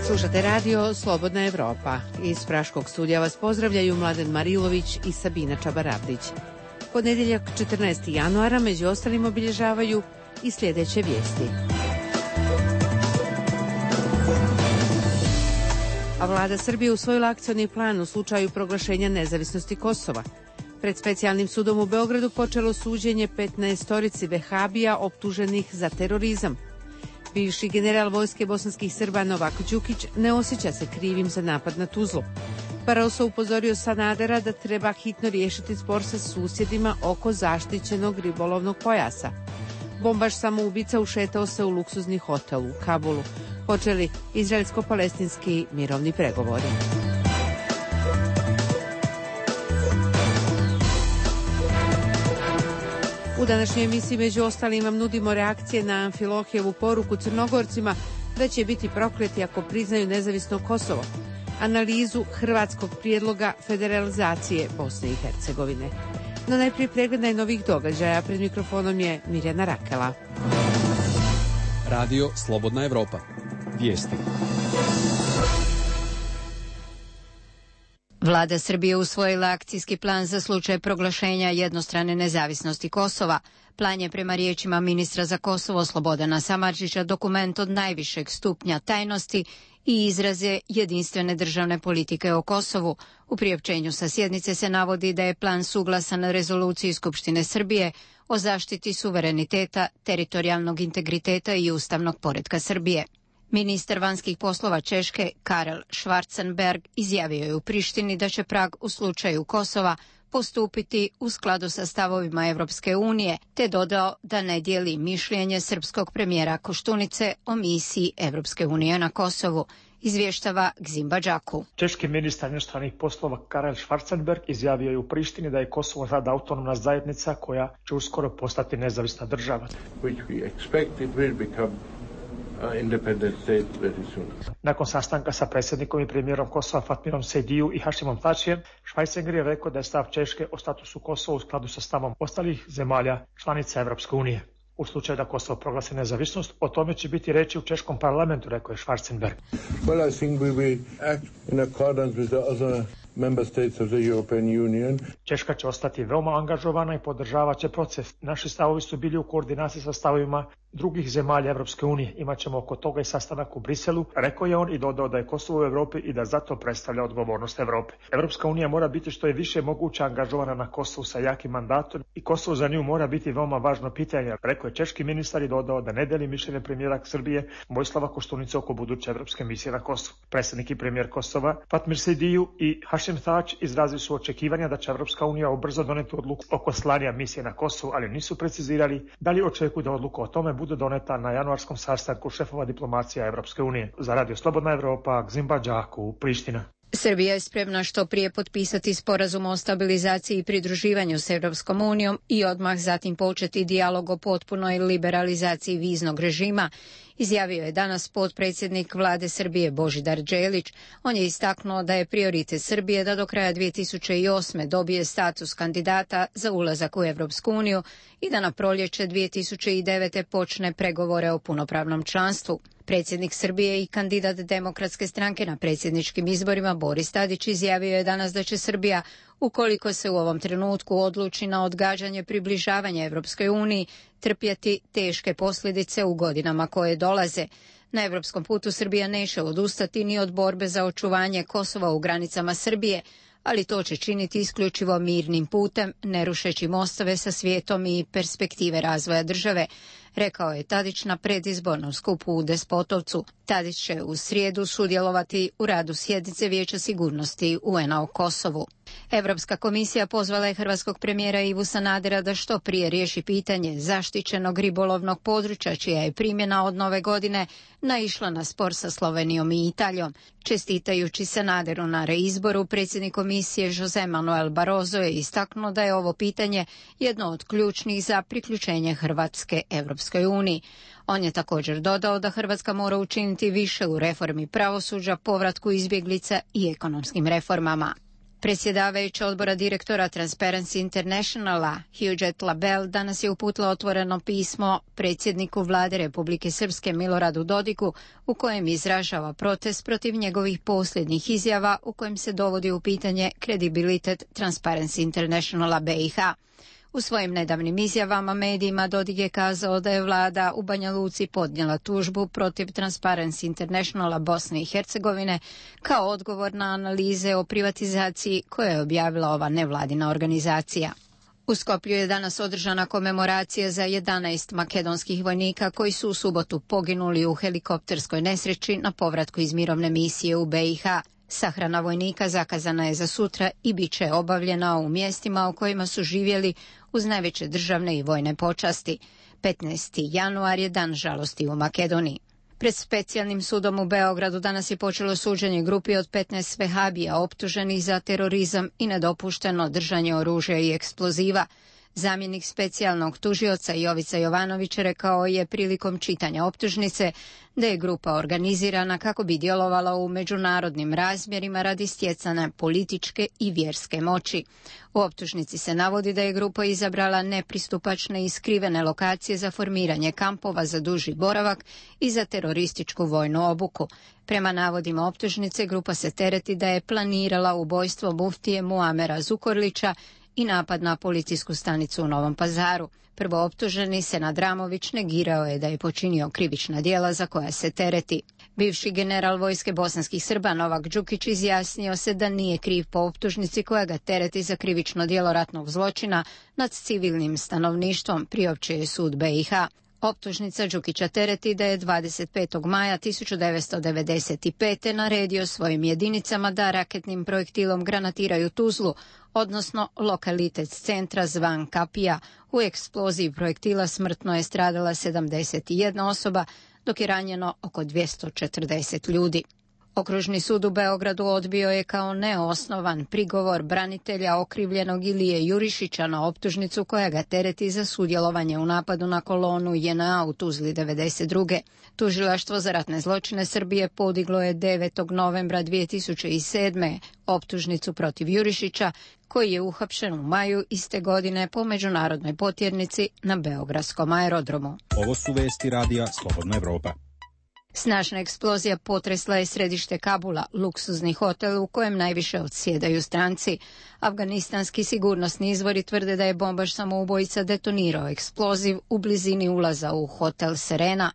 Slušate radio Slobodna Evropa. Iz Praškog studija vas pozdravljaju Mladen Marilović i Sabina Čabarabdić. Ponedjeljak 14. januara među ostalim obilježavaju i sljedeće vijesti. A vlada Srbije usvojila akcioni plan u slučaju proglašenja nezavisnosti Kosova. Pred specijalnim sudom u Beogradu počelo suđenje 15 vehabija optuženih za terorizam. Bivši general vojske bosanskih Srba Novak Đukić ne osjeća se krivim za napad na Tuzlu. Barroso upozorio Sanadera da treba hitno riješiti spor sa susjedima oko zaštićenog ribolovnog pojasa. Bombaš samoubica ušetao se u luksuzni hotel u Kabulu. Počeli izraelsko-palestinski mirovni pregovori. U današnjoj emisiji među ostalim vam nudimo reakcije na Amfilohijevu poruku Crnogorcima da će biti prokleti ako priznaju nezavisno Kosovo, analizu hrvatskog prijedloga federalizacije Bosne i Hercegovine. No najprije pregled najnovijih događaja. Pred mikrofonom je Mirjana Rakela. Radio Slobodna Evropa. Vijesti. Vlada Srbije usvojila akcijski plan za slučaj proglašenja jednostrane nezavisnosti Kosova. Plan je prema riječima ministra za Kosovo Slobodana Samardžića dokument od najvišeg stupnja tajnosti i izraze jedinstvene državne politike o Kosovu. U priopćenju sa sjednice se navodi da je plan suglasan rezoluciji Skupštine Srbije o zaštiti suvereniteta, teritorijalnog integriteta i ustavnog poretka Srbije. Ministar vanjskih poslova Češke Karel Schwarzenberg izjavio je u Prištini da će Prag u slučaju Kosova postupiti u skladu sa stavovima Evropske unije, te dodao da ne dijeli mišljenje srpskog premijera Koštunice o misiji Evropske unije na Kosovu, izvještava Gzimba Đaku. Češki ministar inostranih poslova Karel Schwarzenberg izjavio je u Prištini da je Kosovo sada autonomna zajednica koja će uskoro postati nezavisna država. Nakon sastanka sa predsjednikom i premijerom Kosova Fatmirom Sejdiju i Hašimom Tačijem, Schwarzenegger je rekao da je stav Češke o statusu Kosova u skladu sa stavom ostalih zemalja članica Evropske unije. U slučaju da Kosovo proglasi nezavisnost, o tome će biti reći u češkom parlamentu, rekao je Schwarzenberg. Well, I think we will act in accordance with the other member states of the European Union. Češka će ostati veoma angažovana i podržavat će proces. Naši stavovi su bili u koordinaciji sa stavovima drugih zemalja Evropske unije. Imaćemo oko toga i sastanak u Briselu, rekao je on i dodao da je Kosovo u Evropi i da zato predstavlja odgovornost Evrope. Evropska unija mora biti što je više moguće angažovana na Kosovu sa jakim mandatom i Kosovo za nju mora biti veoma važno pitanje, rekao je češki ministar i dodao da ne deli mišljenje premijera Srbije Vojislava Koštunice oko buduće evropske misije na Kosovu. Predsjednik i premijer Kosova Fatmir Sejdiju i Hašim Tač izrazili su očekivanja da će Evropska unija ubrzo doneti odluku oko slanja misije na Kosovu, ali nisu precizirali da li očekuju da odluka o tome bude doneta na januarskom sastanku šefova diplomacija Evropske unije. Za Radio Slobodna Evropa, Gzimba Đaku, Priština. Srbija je spremna što prije potpisati sporazum o stabilizaciji i pridruživanju s Evropskom unijom i odmah zatim početi dijalog o potpunoj liberalizaciji viznog režima, izjavio je danas potpredsjednik vlade Srbije Božidar Đelić. On je istaknuo da je prioritet Srbije da do kraja 2008. dobije status kandidata za ulazak u Evropsku uniju i da na proljeće 2009. počne pregovore o punopravnom članstvu. Predsjednik Srbije i kandidat Demokratske stranke na predsjedničkim izborima Boris Tadić izjavio je danas da će Srbija, ukoliko se u ovom trenutku odluči na odgađanje približavanja Evropskoj uniji, trpjeti teške posljedice u godinama koje dolaze. Na evropskom putu Srbija neće odustati ni od borbe za očuvanje Kosova u granicama Srbije, ali to će činiti isključivo mirnim putem, ne rušeći mostove sa svijetom i perspektive razvoja države, rekao je Tadić na predizbornom skupu u Despotovcu. Tadić će u srijedu sudjelovati u radu sjednice Vijeća sigurnosti UN-a o Kosovu. Europska komisija pozvala je hrvatskog premijera Ivu Sanadera da što prije riješi pitanje zaštićenog ribolovnog područja, čija je primjena od nove godine naišla na spor sa Slovenijom i Italijom. Čestitajući Sanaderu na reizboru, predsjednik komisije Jose Manuel Barroso je istaknuo da je ovo pitanje jedno od ključnih za priključenje Hrvatske Evropskoj uniji. On je također dodao da Hrvatska mora učiniti više u reformi pravosuđa, povratku izbjeglica i ekonomskim reformama. Predsjedavajuća odbora direktora Transparency Internationala Huguet Labelle danas je uputila otvoreno pismo predsjedniku vlade Republike Srpske Miloradu Dodiku u kojem izražava protest protiv njegovih posljednjih izjava u kojem se dovodi u pitanje kredibilitet Transparency Internationala BiH. U svojim nedavnim izjavama medijima Dodik je kazao da je vlada u Banja Luci podnijela tužbu protiv Transparency Internationala Bosne i Hercegovine kao odgovor na analize o privatizaciji koje je objavila ova nevladina organizacija. U Skoplju je danas održana komemoracija za 11 makedonskih vojnika koji su u subotu poginuli u helikopterskoj nesreći na povratku iz mirovne misije u BiH. Sahrana vojnika zakazana je za sutra i bit će obavljena u mjestima u kojima su živjeli uz najveće državne i vojne počasti. 15. januar je dan žalosti u Makedoniji. Pred specijalnim sudom u Beogradu danas je počelo suđenje grupi od 15 vehabija optuženih za terorizam i nedopušteno držanje oružja i eksploziva. Zamjenik specijalnog tužioca Jovica Jovanović rekao je prilikom čitanja optužnice da je grupa organizirana kako bi djelovala u međunarodnim razmjerima radi stjecanja političke i vjerske moći. U optužnici se navodi da je grupa izabrala nepristupačne i skrivene lokacije za formiranje kampova za duži boravak i za terorističku vojnu obuku. Prema navodima optužnice, grupa se tereti da je planirala ubojstvo muftije Muamera Zukorlića i napad na policijsku stanicu u Novom Pazaru. Prvooptuženi Senad Ramović negirao je da je počinio krivična djela za koja se tereti. Bivši general vojske bosanskih Srba Novak Đukić izjasnio se da nije kriv po optužnici koja ga tereti za krivično djelo ratnog zločina nad civilnim stanovništvom, priopćio je sud BiH. Optužnica Đukića tereti da je 25. maja 1995. naredio svojim jedinicama da raketnim projektilom granatiraju Tuzlu, odnosno lokalitet centra zvan Kapija. U eksploziji projektila smrtno je stradala 71 osoba, dok je ranjeno oko 240 ljudi. Okružni sud u Beogradu odbio je kao neosnovan prigovor branitelja okrivljenog Ilije Jurišića na optužnicu koja ga tereti za sudjelovanje u napadu na kolonu JNA u Tuzli 1992. Tužilaštvo za ratne zločine Srbije podiglo je 9. novembra 2007. optužnicu protiv Jurišića, koji je uhapšen u maju iste godine po međunarodnoj potjernici na beogradskom aerodromu. Ovo su vesti radija Slobodna Evropa. Snažna eksplozija potresla je središte Kabula, luksuzni hotel u kojem najviše odsjedaju stranci. Afganistanski sigurnosni izvori tvrde da je bombaš samoubojica detonirao eksploziv u blizini ulaza u hotel Serena.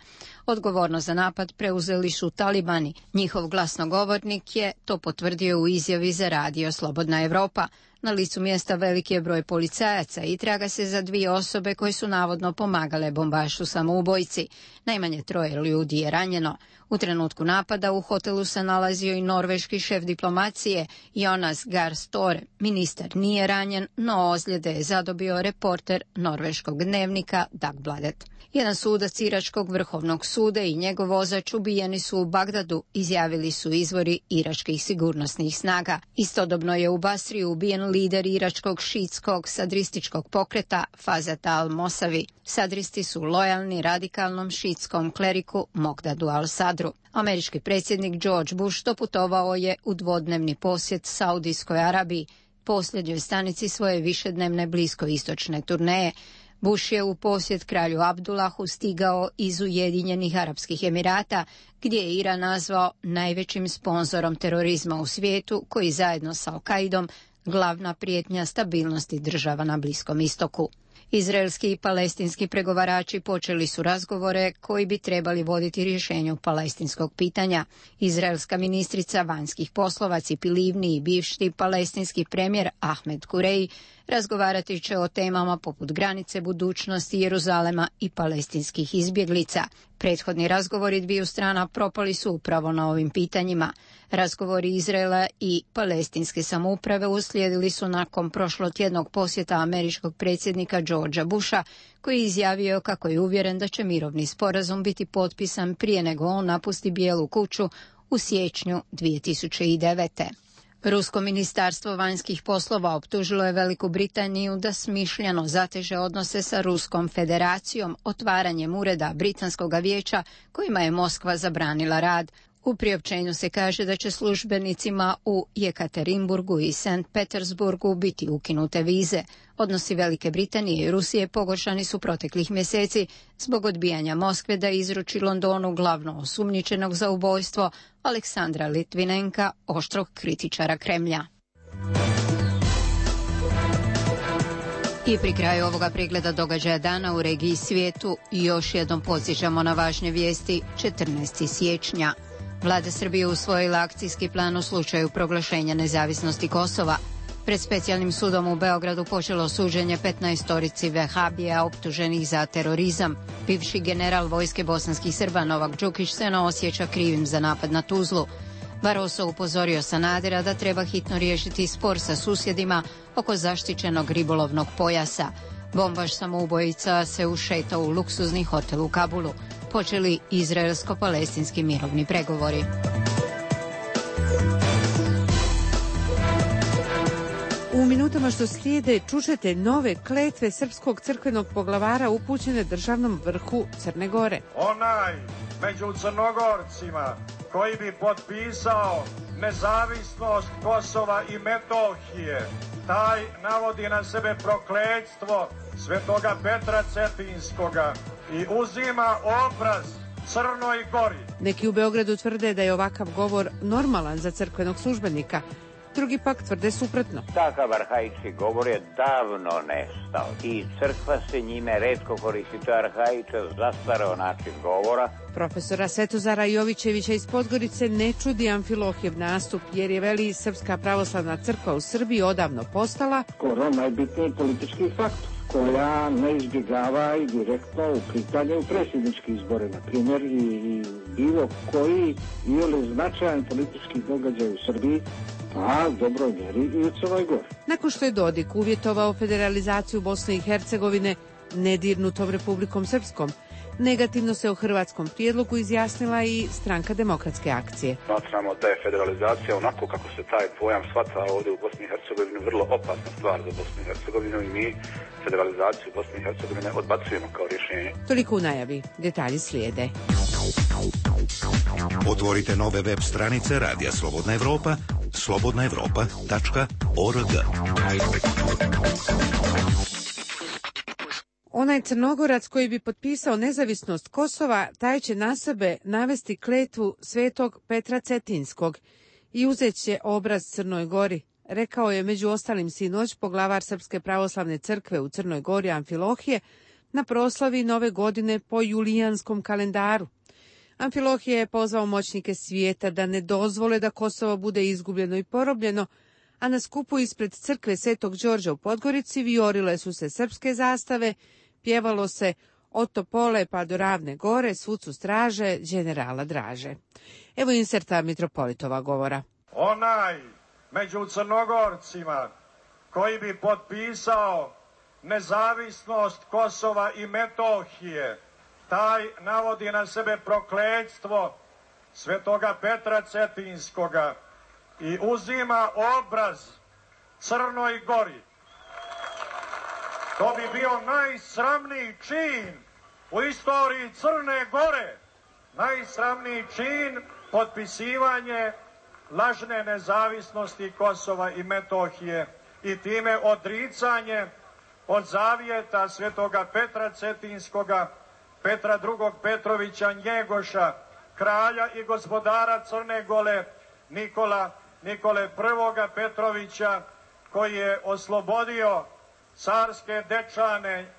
Odgovornost za napad preuzeli su talibani. Njihov glasnogovornik je to potvrdio u izjavi za radio Slobodna Evropa. Na licu mjesta veliki je broj policajaca i traga se za 2 osobe koje su navodno pomagale bombašu samoubojici. Najmanje 3 ljudi je ranjeno. U trenutku napada u hotelu se nalazio i norveški šef diplomacije Jonas Gahr Støre. Ministar nije ranjen, no ozljede je zadobio reporter norveškog dnevnika Dagbladet. Jedan sudac Iračkog vrhovnog suda i njegov vozač ubijeni su u Bagdadu, izjavili su izvori iračkih sigurnosnih snaga. Istodobno je u Basriju ubijen lider iračkog šiitskog sadrističkog pokreta Fazat al-Mosavi. Sadristi su lojalni radikalnom šiitskom kleriku Mogdadu al-Sadru. Američki predsjednik George Bush doputovao je u dvodnevni posjet Saudijskoj Arabiji, posljednjoj stanici svoje višednevne bliskoistočne turneje. Bush je u posjet kralju Abdullahu stigao iz Ujedinjenih Arapskih Emirata, gdje je Iran nazvao najvećim sponzorom terorizma u svijetu, koji zajedno sa Al-Kaidom glavna prijetnja stabilnosti država na Bliskom istoku. Izraelski i palestinski pregovarači počeli su razgovore koji bi trebali voditi rješenju palestinskog pitanja. Izraelska ministrica vanjskih poslova Cipi Livni i bivši palestinski premijer Ahmed Kureji razgovarati će o temama poput granice, budućnosti Jeruzalema i palestinskih izbjeglica. Prethodni razgovori dviju strana propali su upravo na ovim pitanjima. Razgovori Izraela i palestinske samouprave uslijedili su nakon prošlotjednog posjeta američkog predsjednika Georgea Busha, koji je izjavio kako je uvjeren da će mirovni sporazum biti potpisan prije nego on napusti Bijelu kuću u siječnju 2009. Rusko ministarstvo vanjskih poslova optužilo je Veliku Britaniju da smišljeno zateže odnose sa Ruskom federacijom otvaranjem ureda Britanskog vijeća kojima je Moskva zabranila rad. U priopćenju se kaže da će službenicima u Jekaterinburgu i Sankt Petersburgu biti ukinute vize. Odnosi Velike Britanije i Rusije pogoršani su proteklih mjeseci zbog odbijanja Moskve da izruči Londonu glavno osumnjičenog za ubojstvo Aleksandra Litvinenka, oštrog kritičara Kremlja. I pri kraju ovoga pregleda događaja dana u regiji i svijetu još jednom podsjećamo na važne vijesti. 14. siječnja. Vlada Srbije usvojila akcijski plan u slučaju proglašenja nezavisnosti Kosova. Pred specijalnim sudom u Beogradu počelo suđenje 15 vehabija optuženih za terorizam. Bivši general vojske bosanskih Srba Novak Đukić se ne osjeća krivim za napad na Tuzlu. Barroso upozorio Sanadera da treba hitno riješiti spor sa susjedima oko zaštićenog ribolovnog pojasa. Bombaš samoubojica se ušetao u luksuzni hotel u Kabulu. Počeli izraelsko-palestinski mirovni pregovori. U minutama što slijede čućete nove kletve srpskog crkvenog poglavara upućene državnom vrhu Crne Gore. Onaj među Crnogorcima koji bi potpisao nezavisnost Kosova i Metohije, taj navodi na sebe prokletstvo svetoga Petra Cetinskoga i uzima obraz Crnoj Gori. Neki u Beogradu tvrde da je ovakav govor normalan za crkvenog službenika, drugi pak tvrde suprotno. Takav arhaički govor je davno nestao i crkva se njime retko koristi. To je arhaičan, zastareo način govora. Profesora Svetozara Jovićevića iz Podgorice ne čudi Amfilohijev nastup, jer je, veli, Srpska pravoslavna crkva u Srbiji odavno postala skoro najbitniji politički faktor, koja ne izbjegava i direktno uplitanje u predsjednički izbore, na primjer, i bilo koji ili značajan politički događaj u Srbiji, pa dobroj mjeri i u Crnoj Gori. Nakon što je Dodik uvjetovao federalizaciju Bosne i Hercegovine nedirnutom Republikom Srpskom, negativno se o hrvatskom prijedlogu izjasnila i Stranka demokratske akcije. Smatramo da je federalizacija, onako kako se taj pojam shvata ovdje u Bosni i Hercegovini, vrlo opasna stvar za Bosnu i Hercegovinu i mi federalizaciju Bosne i Hercegovine odbacujemo kao rješenje. Toliko u najavi, detalji slijede. Otvorite nove web stranice Radija Slobodna Evropa, slobodnaevropa.org. Onaj Crnogorac koji bi potpisao nezavisnost Kosova, taj će na sebe navesti kletvu svetog Petra Cetinskog i uzet će obraz Crnoj Gori, rekao je među ostalim sinoć poglavar Srpske pravoslavne crkve u Crnoj Gori Amfilohije na proslavi Nove godine po julijanskom kalendaru. Amfilohije je pozvao moćnike svijeta da ne dozvole da Kosovo bude izgubljeno i porobljeno, a na skupu ispred crkve Svetog Đorđa u Podgorici vijorile su se srpske zastave, pjevalo se od Topole pa do Ravne Gore, svud su straže, đenerala draže. Evo inserta mitropolitova govora. Onaj među Crnogorcima koji bi potpisao nezavisnost Kosova i Metohije, taj navodi na sebe prokletstvo svetoga Petra Cetinskoga i uzima obraz Crnoj Gori. To bi bio najsramniji čin u istoriji Crne Gore. Najsramniji čin, potpisivanje lažne nezavisnosti Kosova i Metohije i time odricanje od zavjeta svetoga Petra Cetinskoga, Petra II. Petrovića Njegoša, kralja i gospodara Crne Gore, Nikole I. Petrovića, koji je oslobodio carske dečane,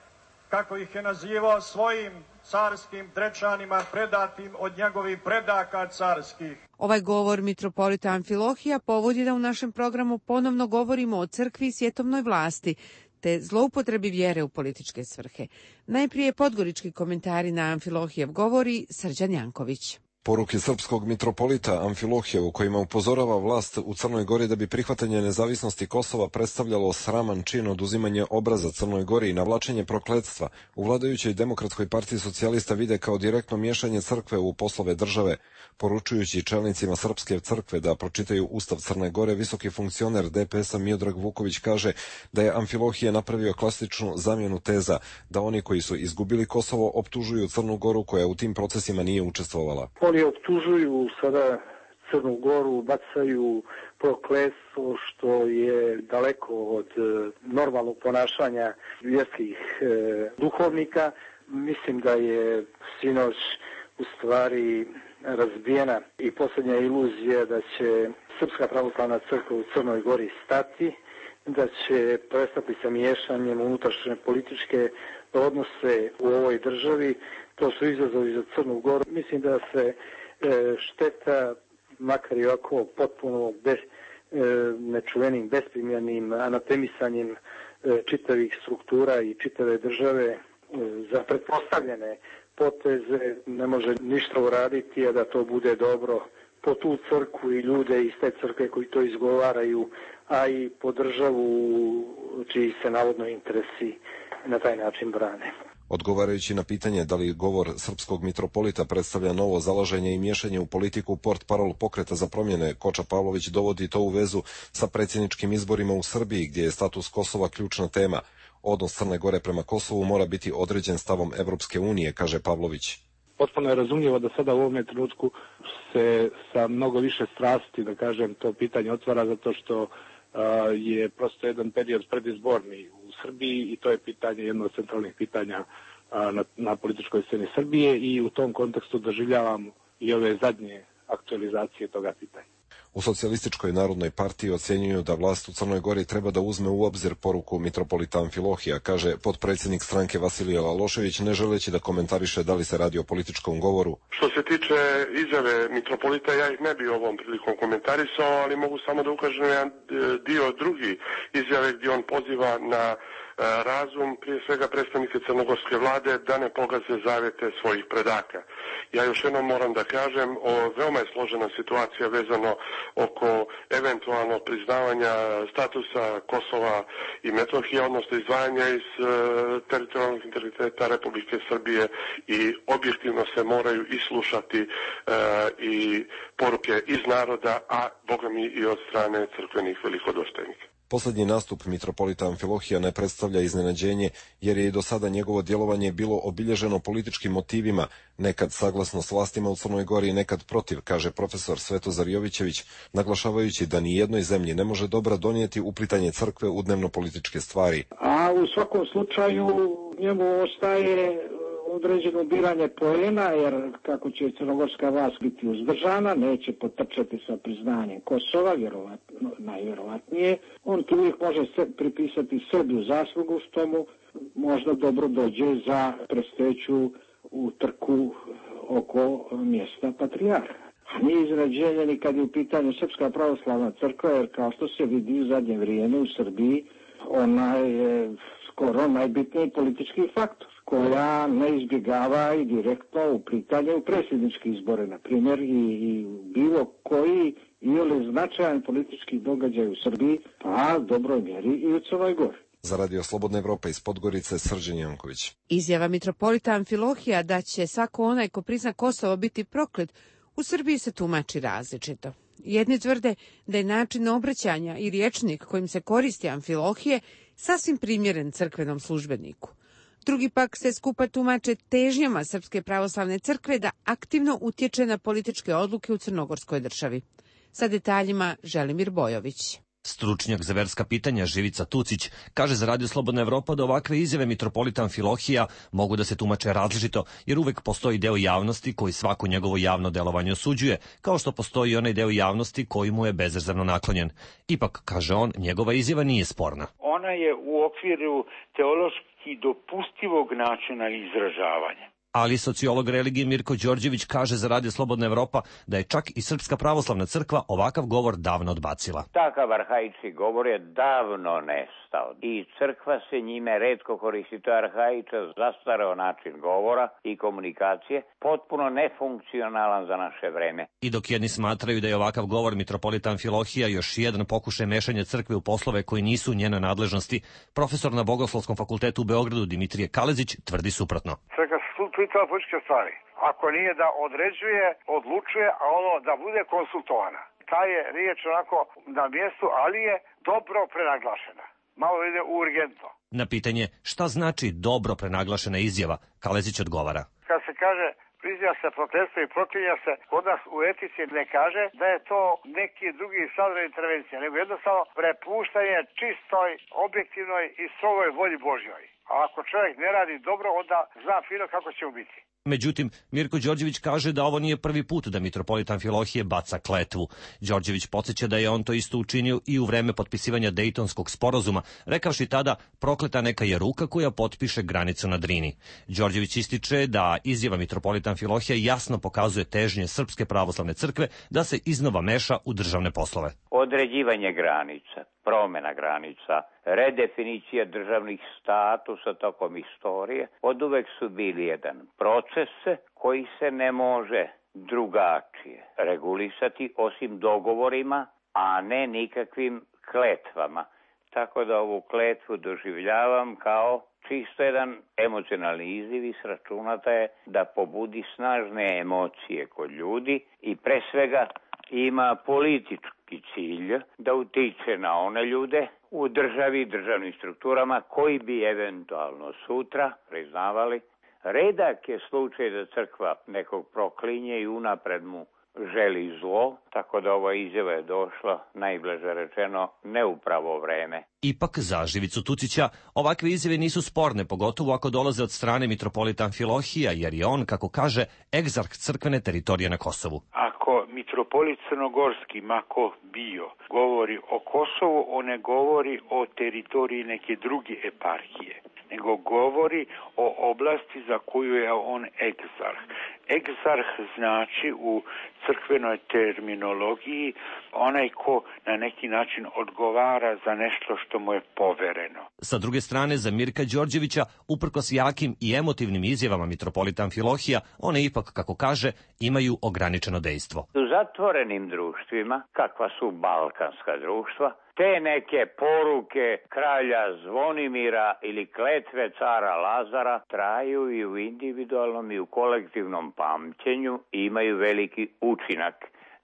kako ih je nazivao, svojim carskim dečanima predatim od njegovih predaka carskih. Ovaj govor mitropolita Amfilohija povod je da u našem programu ponovno govorimo o crkvi i svjetovnoj vlasti, te zloupotrebi vjere u političke svrhe. Najprije podgorički komentari na Amfilohijev govori Srđan Janković. Poruke srpskog mitropolita Amfilohija u kojima upozorava vlast u Crnoj Gori da bi prihvatanje nezavisnosti Kosova predstavljalo sraman čin oduzimanje obraza Crnoj Gori i navlačenje prokletstva, u vladajućoj Demokratskoj partiji socijalista vide kao direktno miješanje crkve u poslove države. Poručujući čelnicima srpske crkve da pročitaju Ustav Crne Gore, visoki funkcioner DPS-a Miodrag Vuković kaže da je Amfilohije napravio klasičnu zamjenu teza, da oni koji su izgubili Kosovo optužuju Crnu Goru koja u tim procesima nije učestvovala. Oni optužuju sada Crnu Goru, bacaju prokletstvo što je daleko od normalnog ponašanja vjerskih duhovnika. Mislim da je sinoć u stvari razbijena i posljednja iluzija da će Srpska pravoslavna crkva u Crnoj Gori stati, da će prestati sa miješanjem unutrašnje političke odnose u ovoj državi. To su izazovi za Crnu Goru. Mislim da se šteta, makar i ovako potpuno nečuvenim, besprimjernim anatemisanjem čitavih struktura i čitave države za pretpostavljene poteze ne može ništa uraditi, a da to bude dobro po tu crkvu i ljude iz te crkve koji to izgovaraju, a i po državu čiji se navodno interesi na taj način brane. Odgovarajući na pitanje da li govor srpskog mitropolita predstavlja novo zalaženje i miješanje u politiku portparol Pokreta za promjene, Koča Pavlović dovodi to u vezu sa predsjedničkim izborima u Srbiji, gdje je status Kosova ključna tema. Odnos Crne Gore prema Kosovu mora biti određen stavom Evropske unije, kaže Pavlović. Potpuno je razumljivo da sada u ovom trenutku se sa mnogo više strasti, da kažem, to pitanje otvara, zato što je prosto jedan period predizborni u Srbiji i to je pitanje, jedno od centralnih pitanja na političkoj sceni Srbije i u tom kontekstu doživljavam i ove zadnje aktualizacije toga pitanja. U Socijalističkoj narodnoj partiji ocjenjuju da vlast u Crnoj Gori treba da uzme u obzir poruku mitropolita Amfilohija, kaže potpredsjednik stranke Vasilije Lalošević, ne želeći da komentariše da li se radi o političkom govoru. Što se tiče izjave mitropolita, ja ih ne bi ovom prilikom komentarisao, ali mogu samo da ukažem na jedan dio drugi izjave gdje on poziva na razum, prije svega predstavnike crnogorske vlade, da ne pogaze zavjete svojih predaka. Ja još jednom moram da kažem, veoma je složena situacija vezano oko eventualno priznavanja statusa Kosova i Metohije, odnosno izdvajanja iz teritorijalnog integriteta Republike Srbije i objektivno se moraju islušati i poruke iz naroda, a bogami i od strane crkvenih velikodostojnika. Poslednji nastup mitropolita Amfilohija ne predstavlja iznenađenje, jer je i do sada njegovo djelovanje bilo obilježeno političkim motivima, nekad saglasno s vlastima u Crnoj Gori, nekad protiv, kaže profesor Svetozar Jovićević, naglašavajući da ni jednoj zemlji ne može dobra donijeti uplitanje crkve u dnevno-političke stvari. A u svakom slučaju njemu ostaje određeno ubiranje poena, jer kako će crnogorska vlast biti uzdržana, neće potrčati sa priznanjem Kosova, najvjerovatnije. On tu uvijek može pripisati Srbiju zaslugu, što mu možda dobro dođe za predstojeću utrku oko mjesta patrijarha. A nije iznenađenje ni kad je u pitanju Srpska pravoslavna crkva, jer kao što se vidi u zadnje vrijeme u Srbiji, ona je skoro najbitniji politički faktor, koja ne izbjegava i direktno uplitanje u predsjedničke izbore, na primjer, i bilo koji ili značajan politički događaj u Srbiji, pa dobroj mjeri i u Crnoj Gori. Za Radio Slobodna Evropa iz Podgorice, Srđan Janković. Izjava mitropolita Amfilohija da će svako onaj ko prizna Kosovo biti proklet, u Srbiji se tumači različito. Jedni tvrde da je način obraćanja i rječnik kojim se koristi Amfilohije sasvim primjeren crkvenom službeniku. Drugi pak se skupa tumače težnjama Srpske pravoslavne crkve da aktivno utječe na političke odluke u crnogorskoj državi. Sa detaljima Želimir Bojović. Stručnjak za verska pitanja Živica Tucić kaže za Radio Slobodna Evropa da ovakve izjave mitropolita Amfilohija mogu da se tumače različito, jer uvek postoji deo javnosti koji svako njegovo javno delovanje osuđuje, kao što postoji i onaj deo javnosti koji mu je bezrezervno naklonjen. Ipak, kaže on, njegova izjava nije sporna. Ona je u okviru teološki dopustivog načina izražavanja. Ali sociolog religije Mirko Đorđević kaže za Radio Slobodna Evropa da je čak i Srpska pravoslavna crkva ovakav govor davno odbacila. Takav arhaični govor je davno nestao i crkva se njime retko koristi. To je arhaičan, zastareo način govora i komunikacije, potpuno nefunkcionalan za naše vreme. I dok jedni smatraju da je ovakav govor mitropolita Amfilohija još jedan pokušaj mešanja crkve u poslove koji nisu u njenoj nadležnosti, profesor na Bogoslovskom fakultetu u Beogradu Dimitrije Kalezić tvrdi suprotno. Pitala političke stvari. Ako nije da određuje, odlučuje, a ono da bude konsultovana. Ta je riječ onako na mjestu, ali je dobro prenaglašena. Malo ide urgentno. Na pitanje šta znači dobro prenaglašena izjava, Kalezić odgovara. Kad se kaže priziva se prokletstvo i proklinja se, kod nas u etici ne kaže da je to neki drugi sadržaj intervencije, nego jednostavno prepuštanje čistoj, objektivnoj i strogoj volji Božjoj. A ako čovjek ne radi dobro, onda zna fino kako će mu biti. Međutim, Mirko Đorđević kaže da ovo nije prvi put da mitropolit Amfilohije baca kletvu. Đorđević podsjeća da je on to isto učinio i u vreme potpisivanja Dejtonskog sporazuma, rekavši tada prokleta neka je ruka koja potpiše granicu na Drini. Đorđević ističe da izjava mitropolita Amfilohija jasno pokazuje težnje Srpske pravoslavne crkve da se iznova meša u državne poslove. Određivanje granica, promjena granica, redefinicija državnih statusa tokom istorije oduvek su bili jedan proces koji se ne može drugačije regulisati osim dogovorima, a ne nikakvim kletvama. Tako da ovu kletvu doživljavam kao čisto jedan emocionalni izziv i sračunata je da pobudi snažne emocije kod ljudi i pre svega ima politički cilj da utiče na one ljude u državi i državnim strukturama koji bi eventualno sutra priznavali. Redak je slučaj da crkva nekog proklinje i unapred mu želi zlo, tako da ova izjava je došla, najblaže rečeno, ne u pravo vreme. Ipak za Živicu Tucića ovakve izjave nisu sporne, pogotovo ako dolaze od strane mitropolita Amfilohija, jer je on, kako kaže, egzarh crkvene teritorije na Kosovu. Ako mitropolit Crnogorski, mako bio, govori o Kosovu, on ne govori o teritoriji neke druge eparhije, nego govori o oblasti za koju je on egzarh. Egzarh znači u crkvenoj terminologiji onaj ko na neki način odgovara za nešto što mu je povereno. Sa druge strane, za Mirka Đorđevića, uprkos jakim i emotivnim izjavama mitropolita Amfilohija, one ipak, kako kaže, imaju ograničeno dejstvo. U zatvorenim društvima, kakva su balkanska društva, te neke poruke kralja Zvonimira ili kletve cara Lazara traju i u individualnom i u kolektivnom pamćenju i imaju veliki učinak.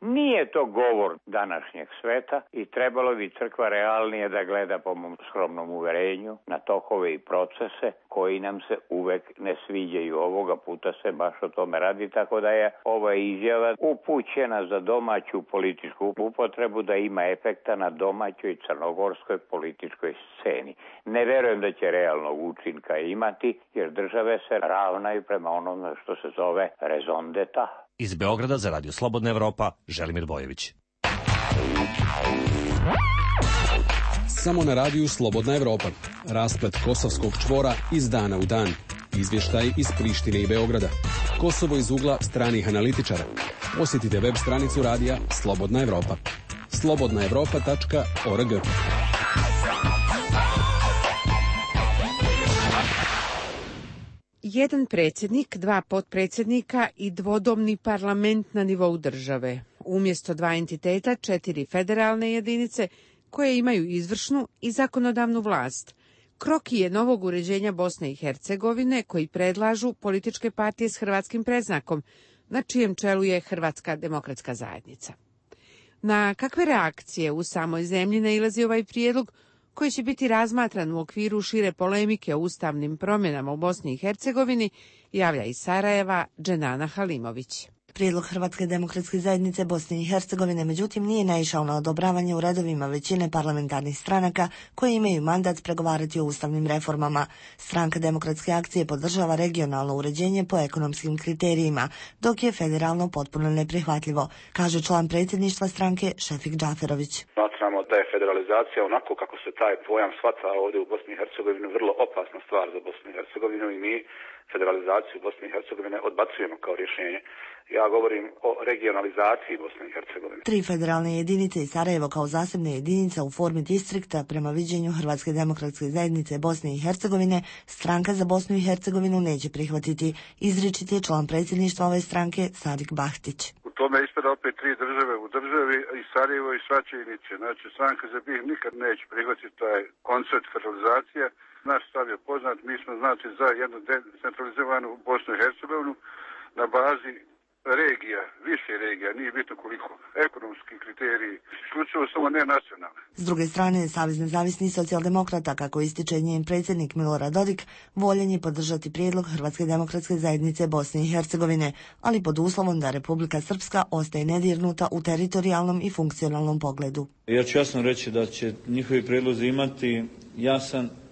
Nije to govor današnjeg sveta i trebalo bi crkva realnije da gleda po mom skromnom uverenju na tokove i procese koji nam se uvek ne sviđaju. Ovoga puta se baš o tome radi, tako da je ova izjava upućena za domaću političku upotrebu da ima efekta na domaćoj crnogorskoj političkoj sceni. Ne verujem da će realnog učinka imati, jer države se ravnaju prema onome što se zove raison d'etat. Iz Beograda za Radio Slobodna Evropa, Želimir Bojević. Samo na radiju Slobodna Evropa. Rasplet kosovskog čvora iz dana u dan. Izvještaj iz Prištine i Beograda. Kosovo iz ugla stranih analitičara. Posjetite web stranicu radija Slobodna Evropa. slobodnaevropa.org. Jedan predsjednik, dva potpredsjednika i dvodomni parlament na nivou države. Umjesto dva entiteta, 4 federalne jedinice koje imaju izvršnu i zakonodavnu vlast. Kroki je novog uređenja Bosne i Hercegovine koji predlažu političke partije s hrvatskim predznakom, na čijem čelu je Hrvatska demokratska zajednica. Na kakve reakcije u samoj zemlji nailazi ovaj prijedlog, koji će biti razmatran u okviru šire polemike o ustavnim promjenama u Bosni i Hercegovini, javlja iz Sarajeva Dženana Halimović. Prijedlog Hrvatske demokratske zajednice Bosne i Hercegovine međutim nije naišao na odobravanje u redovima većine parlamentarnih stranaka koje imaju mandat pregovarati o ustavnim reformama. Stranka demokratske akcije podržava regionalno uređenje po ekonomskim kriterijima, dok je federalno potpuno neprihvatljivo, kaže član predsjedništva stranke Šefik Džaferović. Smatramo da je federalizacija onako kako se taj pojam shvata ovdje u Bosni i Hercegovini vrlo opasna stvar za Bosnu i Hercegovinu i mi federalizaciju Bosne i Hercegovine odbacujemo kao rješenje. Ja govorim o regionalizaciji Bosne i Hercegovine. 3 federalne jedinice i Sarajevo kao zasebne jedinice u formi distrikta prema viđenju Hrvatske demokratske zajednice Bosne i Hercegovine stranka za Bosnu i Hercegovinu neće prihvatiti, izričit je član predsjedništva ove stranke Sadik Bahtić. U tome ispada opet 3 države u državi i Sarajevo i Svačajnice. Znači, stranka za BiH nikad neće prihvatiti taj koncept federalizacije. Naš stav je poznat, mi smo znači za jednu decentralizovanu Bosnu i Hercegovinu na bazi regija, više regija, nije bitno koliko, ekonomski kriteriji, isključivo samo ne nacionalne. S druge strane, Savez nezavisnih socijaldemokrata, kako ističe njen predsjednik Milorad Dodik, voljen je podržati prijedlog Hrvatske demokratske zajednice Bosne i Hercegovine, ali pod uslovom da Republika Srpska ostaje nedirnuta u teritorijalnom i funkcionalnom pogledu. Ja ću jasno reći da će njihovi prijedlozi imati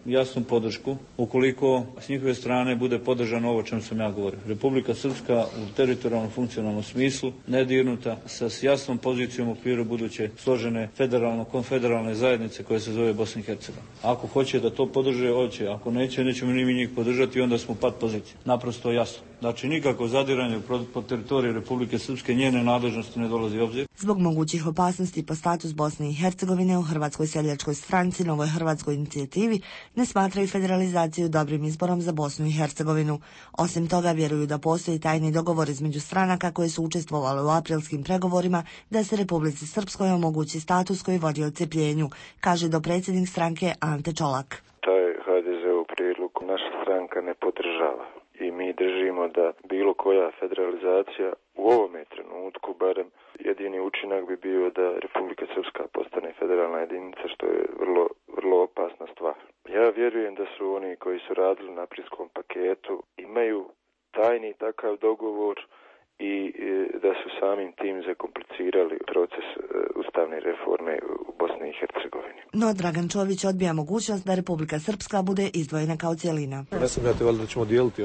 jasnu podršku ukoliko s njihove strane bude podržano ovo o čemu sam ja govorio. Republika Srpska u teritorijalnom funkcionalnom smislu nedirnuta sa jasnom pozicijom u okviru buduće složene konfederalne zajednice koja se zove Bosna i Hercegovina. Ako hoće da to podrže, hoće. Ako neće, nećemo ni mi njih podržati, onda smo pad pozicije. Naprosto jasno. Znači nikako zadiranje po teritoriju Republike Srpske, njene nadležnosti ne dolazi u obzir. Zbog mogućih opasnosti po status Bosne i Hercegovine u Hrvatskoj seljačkoj stranci, Novoj hrvatskoj inicijativi, ne smatraju federalizaciju dobrim izborom za Bosnu i Hercegovinu. Osim toga, vjeruju da postoji tajni dogovor između stranaka koje su učestvovale u aprilskim pregovorima da se Republici Srpskoj omogući status koji vodi odcepljenju, kaže dopredsjednik stranke Ante Čolak. Taj HDZ-ov prijedlog naša stranka ne podržava i mi držimo da bilo koja federalizacija u ovome trenutku barem jedini učinak bi bio da Republika Srpska postane federalna jedinica, što je vrlo opasna stvar. Ja vjerujem da su oni koji su radili na aprilskom paketu imaju tajni takav dogovor i da su samim tim zakomplicirali proces ustavne reforme u Bosni i Hercegovini. No Dragan Čović odbija mogućnost da Republika Srpska bude izdvojena kao cjelina. Ne sumnjate valjda da ćemo dijeliti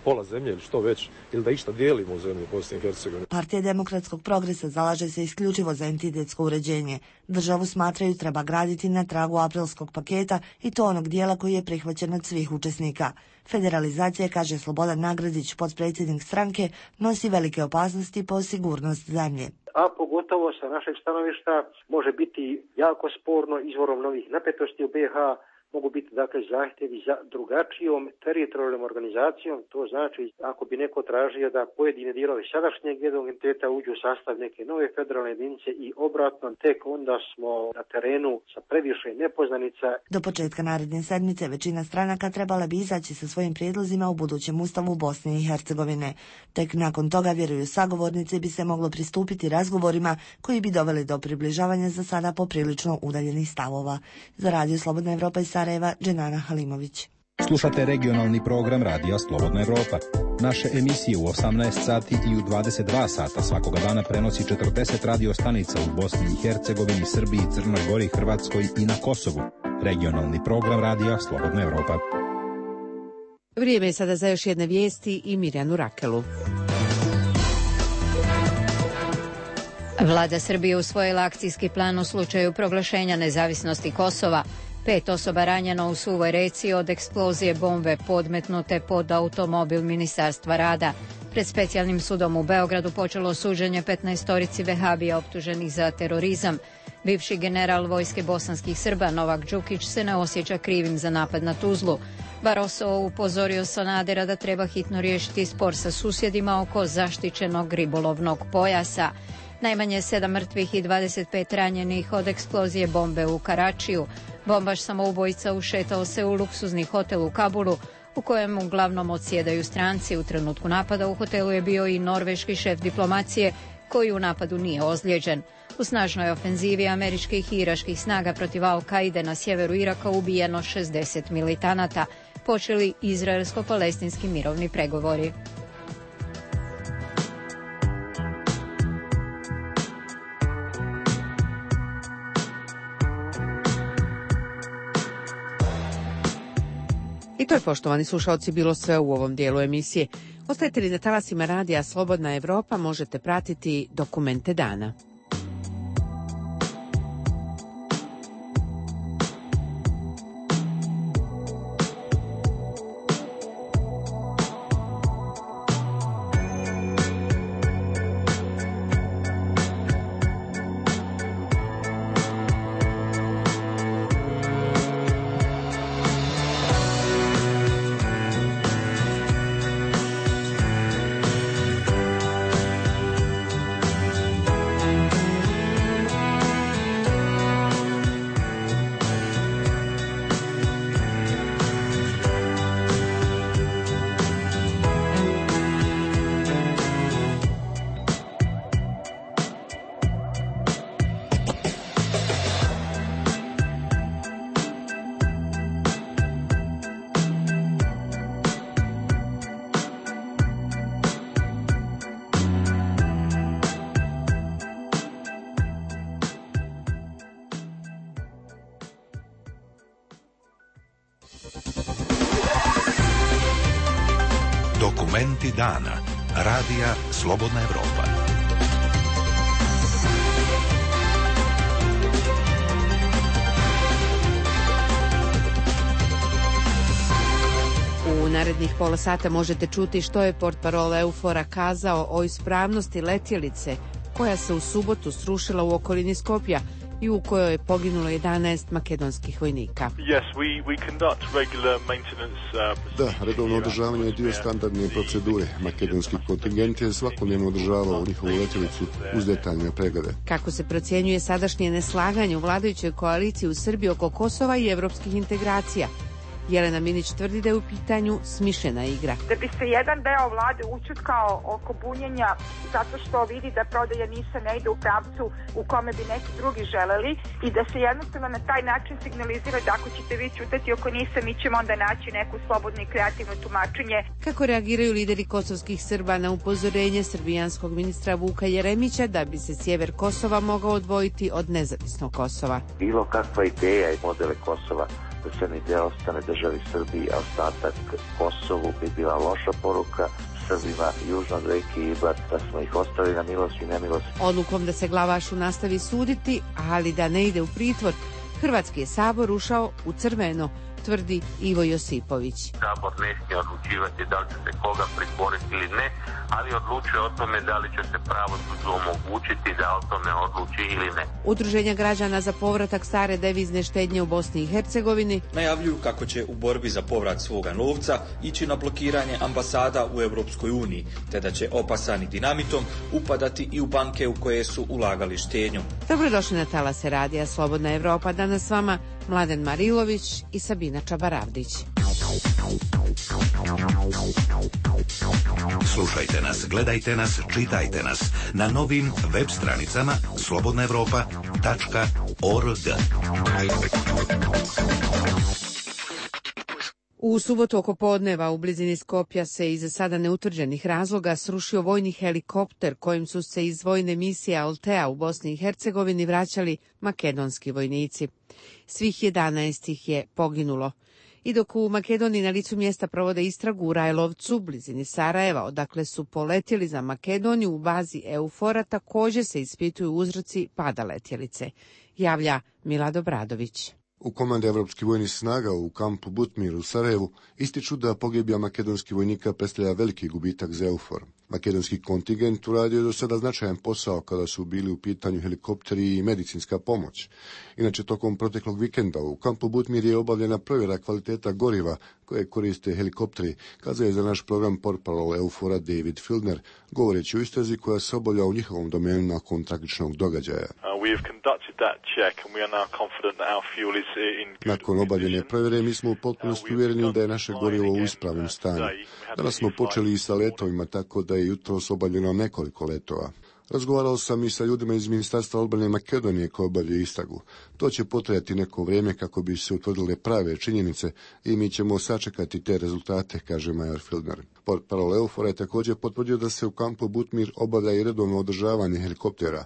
pola zemlje ili što već, ili da išta dijelimo u zemlju Bosne i Hercegovine. Partija demokratskog progresa zalaže se isključivo za entitetsko uređenje. Državu smatraju treba graditi na tragu aprilskog paketa i to onog dijela koji je prihvaćen od svih učesnika. Federalizacija, kaže Slobodan Nagradić, potpredsjednik stranke, nosi velike opasnosti po sigurnost zemlje. A pogotovo sa našeg stanovišta može biti jako sporno izvorom novih napetosti u BiH, mogu biti dakle zahtjevi za drugačijom teritorijalnom organizacijom. To znači ako bi neko tražio da pojedine dijelovi sadašnjeg jednog entiteta uđu u sastav neke nove federalne jedinice i obratno, tek onda smo na terenu sa previše nepoznanica. Do početka naredne sedmice većina stranaka trebala bi izaći sa svojim prijedlozima u budućem ustavu Bosne i Hercegovine. Tek nakon toga, vjeruju sagovornici, bi se moglo pristupiti razgovorima koji bi doveli do približavanja za sada poprilično udaljenih stavova. Za Radio Slobodna Evropa iz Sarajeva, Dženana Halimović. Slušate regionalni program Radija Slobodna Evropa. Naše emisije u 18 sati i u 22 sata svakoga dana prenosi 40 radio stanica u Bosni i Hercegovini, Srbiji, Crnoj Gori, Hrvatskoj i na Kosovu. Regionalni program Radija Slobodna Evropa. Vrijeme je sada za još jedne vijesti i Mirjanu Rakelu. Vlada Srbije usvojila akcijski plan u slučaju proglašenja nezavisnosti Kosova. 5 osoba ranjeno u Suvoj Reci od eksplozije bombe podmetnute pod automobil Ministarstva rada. Pred specijalnim sudom u Beogradu počelo suđenje 15 vehabija optuženih za terorizam. Bivši general vojske bosanskih Srba Novak Đukić se ne osjeća krivim za napad na Tuzlu. Barroso upozorio Sanadera da treba hitno riješiti spor sa susjedima oko zaštićenog ribolovnog pojasa. Najmanje 7 mrtvih i 25 ranjenih od eksplozije bombe u Karačiju. Bombaš samoubojica ušetao se u luksuzni hotel u Kabulu, u kojem uglavnom odsjedaju stranci. U trenutku napada u hotelu je bio i norveški šef diplomacije, koji u napadu nije ozlijeđen. U snažnoj ofenzivi američkih i iraških snaga protiv Al-Kaide na sjeveru Iraka ubijeno 60 militanata. Počeli izraelsko-palestinski mirovni pregovori. I to je, poštovani slušalci, bilo sve u ovom dijelu emisije. Ostajete li na talasima Radija Slobodna Evropa, možete pratiti Dokumente dana. Momenti dana. Radija Slobodna Evropa. U narednih pola sata možete čuti što je portparol EUFOR-a kazao o ispravnosti letjelice koja se u subotu srušila u okolini Skopja i u kojoj je poginulo 11 makedonskih vojnika. Da, redovno održavanje je dio standardne procedure. Makedonski kontingent je svakodnevno održavao njihovu letjelicu uz detaljne preglede. Kako se procjenjuje sadašnje neslaganje u vladajućoj koaliciji u Srbiji oko Kosova i evropskih integracija? Jelena Minić tvrdi da je u pitanju smišljena igra. Da bi se jedan deo vlade ućutkao oko bunjenja zato što vidi da prodaja NIS-a ne ide u pravcu u kome bi neki drugi želeli i da se jednostavno na taj način signalizira da ako ćete vi ćutati oko NIS-a, mi ćemo onda naći neku slobodno i kreativno tumačenje. Kako reagiraju lideri kosovskih Srba na upozorenje srbijanskog ministra Vuka Jeremića da bi se sjever Kosova mogao odvojiti od nezavisnog Kosova? Bilo kakva ideja i modele Kosova da se ne ostane državi Srbiji, a ostatak Kosovu bi bila loša poruka Srbima južno od reke Ibar, da smo ih ostavili na milost i nemilost. Odlukom da se Glavašu nastavi suditi, ali da ne ide u pritvor, Hrvatski je sabor ušao u crveno, tvrdi Ivo Josipović. Sabor ne smije odlučivati da li će se koga pritvoriti ili ne, ali odlučuje o tome da li će se pravosuđu omogućiti da o tome odluči ili ne. Udruženja građana za povratak stare devizne štednje u Bosni i Hercegovini najavljuju kako će u borbi za povrat svoga novca ići na blokiranje ambasada u Europskoj uniji, te da će opasani dinamitom upadati i u banke u koje su ulagali štednju. Dobrodošli na talase Radija Slobodna Evropa. Danas s vama Mladen Marilović i Sabina Čabaravdić. Slušajte nas, gledajte nas, čitajte nas na novim web stranicama slobodnaevropa.org. U subotu oko podneva u blizini Skopja se iz sada neutvrđenih razloga srušio vojni helikopter kojim su se iz vojne misije Altea u Bosni i Hercegovini vraćali makedonski vojnici. Svih 11 ih je poginulo. I dok u Makedoniji na licu mjesta provode istragu u Rajlovcu, blizini Sarajeva, odakle su poletjeli za Makedoniju u bazi EUFOR-a, također se ispituju uzroci pada letjelice, javlja Milad Obradović. U komandi evropskih vojnih snaga u kampu Butmir u Sarajevu ističu da pogibija makedonskih vojnika predstavlja veliki gubitak za EUFOR. Makedonski kontingent uradio je do sada značajan posao kada su bili u pitanju helikopteri i medicinska pomoć. Inače, tokom proteklog vikenda u kampu Butmir je obavljena provjera kvaliteta goriva koje koriste helikopteri, kazao je za naš program portparol EUFOR-a David Fieldner, govoreći o istrazi koja se obavlja u njihovom domenu nakon tragičnog događaja. Nakon obavljene provjere mi smo u potpunosti uvjereni da je naše gorivo u ispravnom stanju. Danas smo počeli i sa letovima, tako da je jutros obavljeno nekoliko letova. Razgovarao sam i sa ljudima iz Ministarstva odbrane Makedonije koji obavljaju istragu. To će potrajati neko vrijeme kako bi se utvrdile prave činjenice i mi ćemo sačekati te rezultate, kaže major Fieldner. Portparol EUFOR-a je također potvrdio da se u kampu Butmir obavlja i redovno održavanje helikoptera.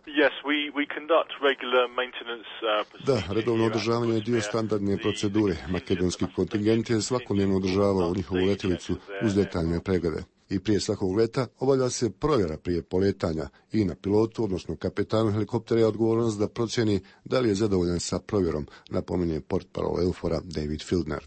Da, redovno održavanje je dio standardne procedure. Makedonski kontingent je svakodnevno održavao njihovu letjelicu uz detaljne preglede. I prije svakog leta obavlja se provjera prije poletanja i na pilotu, odnosno kapetanu helikoptera je odgovornost da procjeni da li je zadovoljan sa provjerom, napominje portparol EUFOR-a David Fieldner.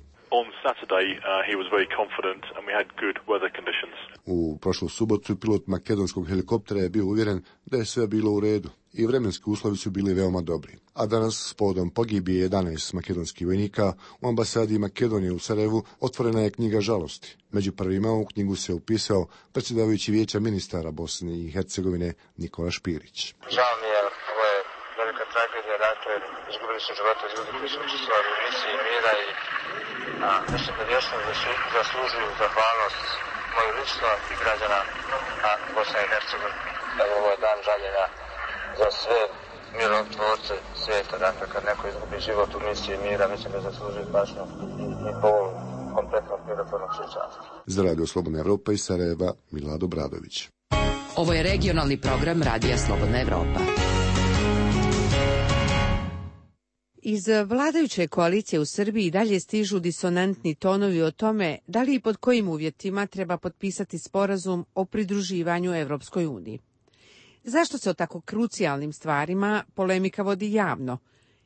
U prošlu subotu pilot makedonskog helikoptera je bio uvjeren da je sve bilo u redu i vremenski uslovi su bili veoma dobri. A danas, s povodom pogibije 11 makedonskih vojnika, u ambasadi Makedonije u Sarajevu otvorena je knjiga žalosti. Među prvima u knjigu se upisao predsjedavajući vijeća ministara Bosne i Hercegovine Nikola Špirić. Žao mi je, ovo je velika tragedija, dakle, izgubili su živote ljudi koji su učestvovali u misiji mira i mislim da vječno zaslužuju zahvalnost moju lično i građana Bosne i Hercegovine. Evo, ovo je dan žaljenja za sve mirotvorce svijeta, dakle, kad neko izgubi život u misiji mira, mislim da zaslužuju pažnju i povolu kompletnog mirotvornog sučanstva. Za Radio Slobodna Evropa iz Sarajeva, Milad Obradović. Ovo je regionalni program Radija Slobodna Evropa. Iz vladajuće koalicije u Srbiji dalje stižu disonantni tonovi o tome da li i pod kojim uvjetima treba potpisati sporazum o pridruživanju Evropskoj uniji. Zašto se o tako krucijalnim stvarima polemika vodi javno?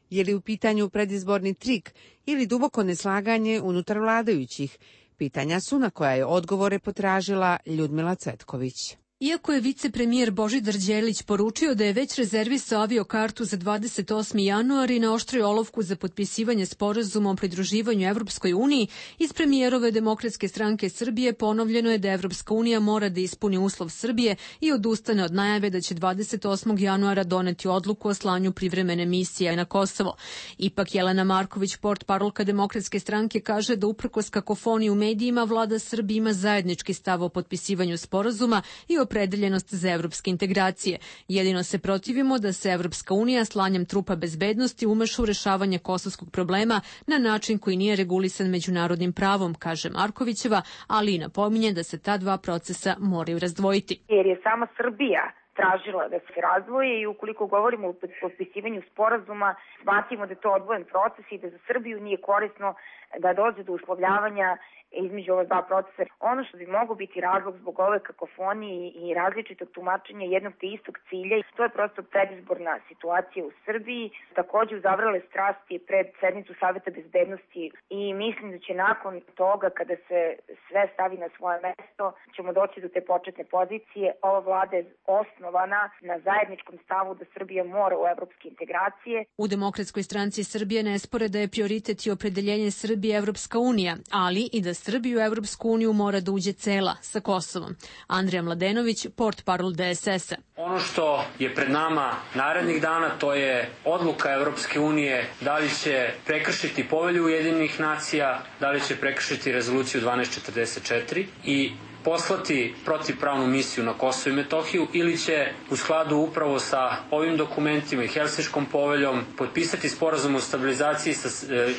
Je li u pitanju predizborni trik ili duboko neslaganje unutar vladajućih? Pitanja su na koja je odgovore potražila Ljudmila Cvetković. Iako je vicepremijer Božidar Đelić poručio da je već rezervisao aviokartu za 28. januar i naoštrio olovku za potpisivanje sporazuma o pridruživanju Evropskoj uniji, iz premijerove Demokratske stranke Srbije ponovljeno je da Evropska unija mora da ispuni uslov Srbije i odustane od najave da će 28. januara doneti odluku o slanju privremene misije na Kosovo. Ipak Jelena Marković, portparolka Demokratske stranke, kaže da uprkos kakofoniji u medijima vlada Srbije ima zajednički stav o potpisivanju sporazuma i opredeljenost za evropske integracije. Jedino se protivimo da se Evropska unija slanjem trupa bezbednosti umeša u rešavanje kosovskog problema na način koji nije regulisan međunarodnim pravom, kaže Markovićeva, ali i napominje da se ta dva procesa moraju razdvojiti. Jer je sama Srbija tražila da se razdvoje i ukoliko govorimo o potpisivanju sporazuma, smatramo da je to odvojen proces i da za Srbiju nije korisno da dođe do uslovljavanja između ova dva procesa. Ono što bi moglo biti razlog zbog ove kakofonije i različitog tumačenja jednog te istog cilja, to je prosto predizborna situacija u Srbiji. Takođe uzavrele strasti pred sednicu Saveta bezbednosti i mislim da će nakon toga, kada se sve stavi na svoje mesto, ćemo doći do te početne pozicije. Ova vlada je osnovana na zajedničkom stavu da Srbija mora u evropske integracije. U Demokratskoj stranci Srbije ne spore da je prioritet i opredeljenje Srbije Evropska unija, ali i da Srbiju u Evropsku uniju mora da uđe cela sa Kosovom. Andrija Mladenović, portparol DSS-a. Ono što je pred nama narednih dana, to je odluka Evropske unije da li će prekršiti Povelju Ujedinjenih nacija, da li će prekršiti rezoluciju 1244 i poslati protivpravnu misiju na Kosovo i Metohiju ili će u skladu upravo sa ovim dokumentima i Helsinškom poveljom potpisati sporazum o stabilizaciji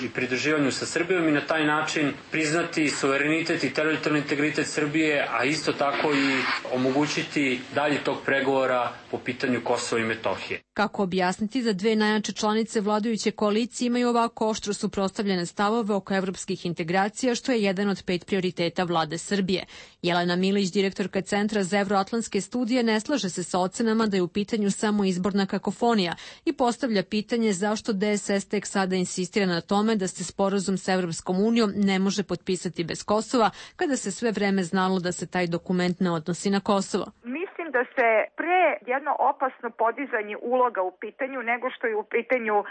i pridruživanju sa Srbijom i na taj način priznati suverenitet i teritorijalni integritet Srbije, a isto tako i omogućiti dalje tog pregovora po pitanju Kosova i Metohije. Kako objasniti da dve najjače članice vladajuće koalicije imaju ovako oštro suprotstavljene stavove oko evropskih integracija, što je jedan od 5 prioriteta vlade Srbije. Jelena Milić, direktorka Centra za evroatlantske studije, ne slaže se sa ocenama da je u pitanju samo izborna kakofonija i postavlja pitanje zašto DSS tek sada insistira na tome da se sporazum sa Evropskom unijom ne može potpisati bez Kosova, kada se sve vreme znalo da se taj dokument ne odnosi na Kosovo. Mislim da se pre jedno opasno podizanje uloga u pitanju nego što je u pitanju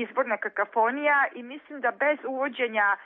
izborna kakofonija i mislim da bez uvođenja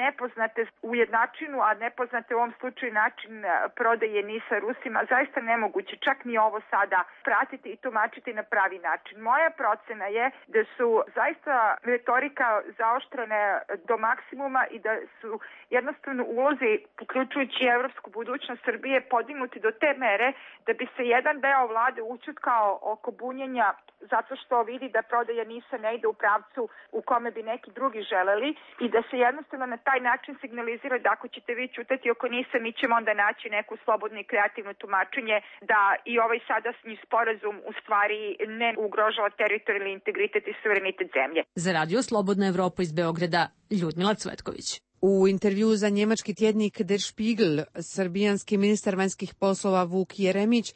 nepoznate ujednačinu, a nepoznate u ovom slučaju način prodaje NIS-a Rusima, zaista nemoguće čak ni ovo sada pratiti i tumačiti na pravi način. Moja procena je da su zaista retorika zaoštrene do maksimuma i da su jednostavno ulozi, uključujući evropsku budućnost Srbije, podignuti do te mere da bi se jedan deo vlade učutkao oko bunjenja zato što vidi da prodaja NIS-a ne ide u pravcu u kome bi neki drugi želeli i da se jednostavno na taj način signalizira da ako ćete vi ćutati oko NIS-a, mi ćemo onda naći neku slobodno i kreativno tumačenje da i ovaj sadašnji sporazum u stvari ne ugrožava teritorijalni integritet i suverenitet zemlje. Za Radio Slobodna Evropa iz Beograda, Ljudmila Cvetković. U intervju za njemački tjednik Der Spiegel, srbijanski ministar vanjskih poslova Vuk Jeremić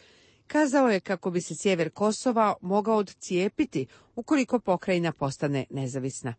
kazao je kako bi se sjever Kosova mogao odcijepiti ukoliko pokrajina postane nezavisna.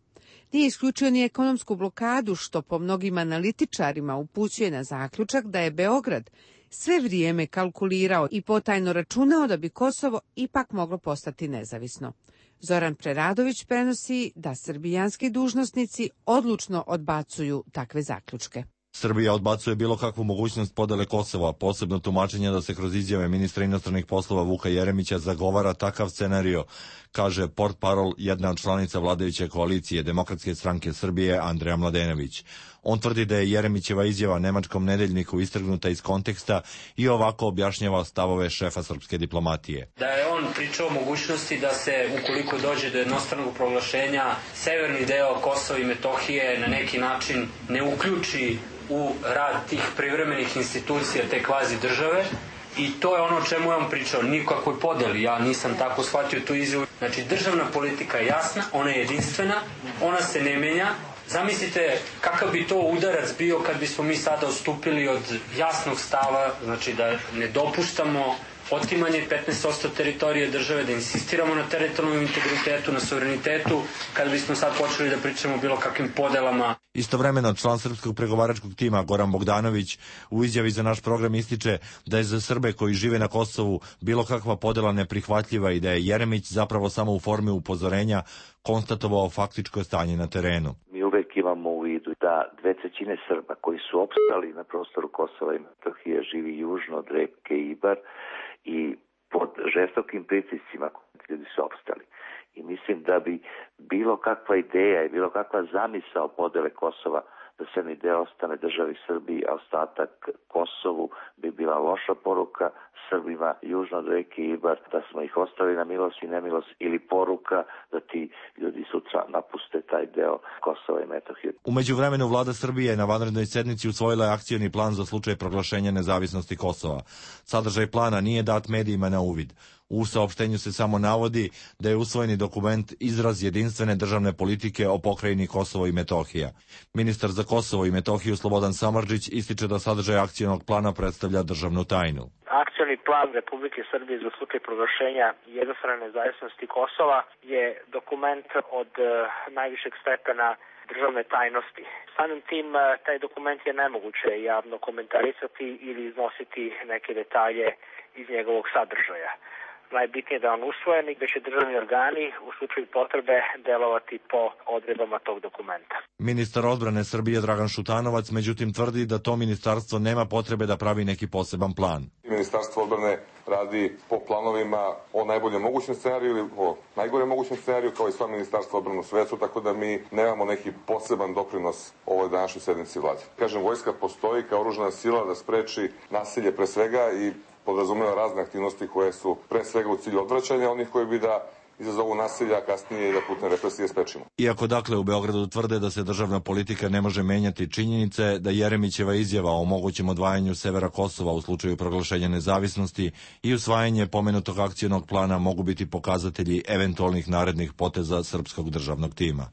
Nije isključio ni ekonomsku blokadu, što po mnogim analitičarima upućuje na zaključak da je Beograd sve vrijeme kalkulirao i potajno računao da bi Kosovo ipak moglo postati nezavisno. Zoran Preradović prenosi da srbijanski dužnosnici odlučno odbacuju takve zaključke. Srbija odbacuje bilo kakvu mogućnost podele Kosova, posebno tumačenje da se kroz izjave ministra inostranih poslova Vuka Jeremića zagovara takav scenario, kaže portparol jedna od članica vladajuće koalicije Demokratske stranke Srbije Andrija Mladenović. On tvrdi da je Jeremićeva izjava nemačkom nedeljniku istrgnuta iz konteksta i ovako objašnjava stavove šefa srpske diplomatije. Da je on pričao o mogućnosti da se, ukoliko dođe do jednostranog proglašenja, severni deo Kosova i Metohije na neki način ne uključi u rad tih privremenih institucija te kvazi države I to je ono o čemu je on pričao, nikakvoj podeli, ja nisam tako shvatio tu izjavu. Znači, državna politika je jasna, ona je jedinstvena, ona se ne menja. Zamislite kakav bi to udarac bio kad bismo mi sada odstupili od jasnog stava, znači da ne dopuštamo otimanje 15% teritorije države, da insistiramo na teritorijalnom integritetu, na suverenitetu, kada bismo sad počeli da pričamo o bilo kakvim podelama. Istovremeno, član srpskog pregovaračkog tima Goran Bogdanović u izjavi za naš program ističe da je za Srbe koji žive na Kosovu bilo kakva podela neprihvatljiva i da je Jeremić zapravo samo u formi upozorenja konstatovao faktičko stanje na terenu. Mi uvek imamo u vidu da 2/3 Srba koji su opstali na prostoru Kosova i Metohije živi južno od reke Ibar i pod žestokim pritiscima ljudi su opstali. I mislim da bi bilo kakva ideja i bilo kakva zamisao podele Kosova da severni deo ostane državi Srbiji, a ostatak Kosovu bi bila loša poruka Srbima južno od reke Ibar, da smo ih ostavili na milost i nemilost, ili poruka da ti ljudi sutra napuste taj deo Kosova i Metohije. U međuvremenu vlada Srbije na vanrednoj sednici usvojila je akcioni plan za slučaj proglašenja nezavisnosti Kosova. Sadržaj plana nije dat medijima na uvid. U saopštenju se samo navodi da je usvojeni dokument izraz jedinstvene državne politike o pokrajini Kosovo i Metohija. Ministar za Kosovo i Metohiju Slobodan Samardžić ističe da sadržaj akcionog plana predstavlja državnu tajnu. Akcioni plan Republike Srbije za slučaj proglašenja jednostrane nezavisnosti Kosova je dokument od najvišeg stepena državne tajnosti. Samim tim, taj dokument je nemoguće javno komentarisati ili iznositi neke detalje iz njegovog sadržaja. Najbitnije je da on usvojen i da će državni organi u slučaju potrebe delovati po odredbama tog dokumenta. Ministar odbrane Srbije Dragan Šutanovac međutim tvrdi da to ministarstvo nema potrebe da pravi neki poseban plan. Ministarstvo odbrane radi po planovima o najboljem mogućem scenariju ili o najgorem mogućem scenariju, kao i sva ministarstva odbrane u svetu, tako da mi nemamo neki poseban doprinos ovoj današnjoj sednici vlade. Kažem, vojska postoji kao oružana sila da spreči nasilje pre svega i podrazumeva razne aktivnosti koje su pre svega u cilju odvraćanja onih koji bi da izazovu nasilja, kasnije i da putne represije sprečimo. Iako dakle u Beogradu tvrde da se državna politika ne može menjati, činjenice da Jeremićeva izjava o mogućem odvajanju severa Kosova u slučaju proglašenja nezavisnosti i usvajanje pomenutog akcionog plana mogu biti pokazatelji eventualnih narednih poteza srpskog državnog tima.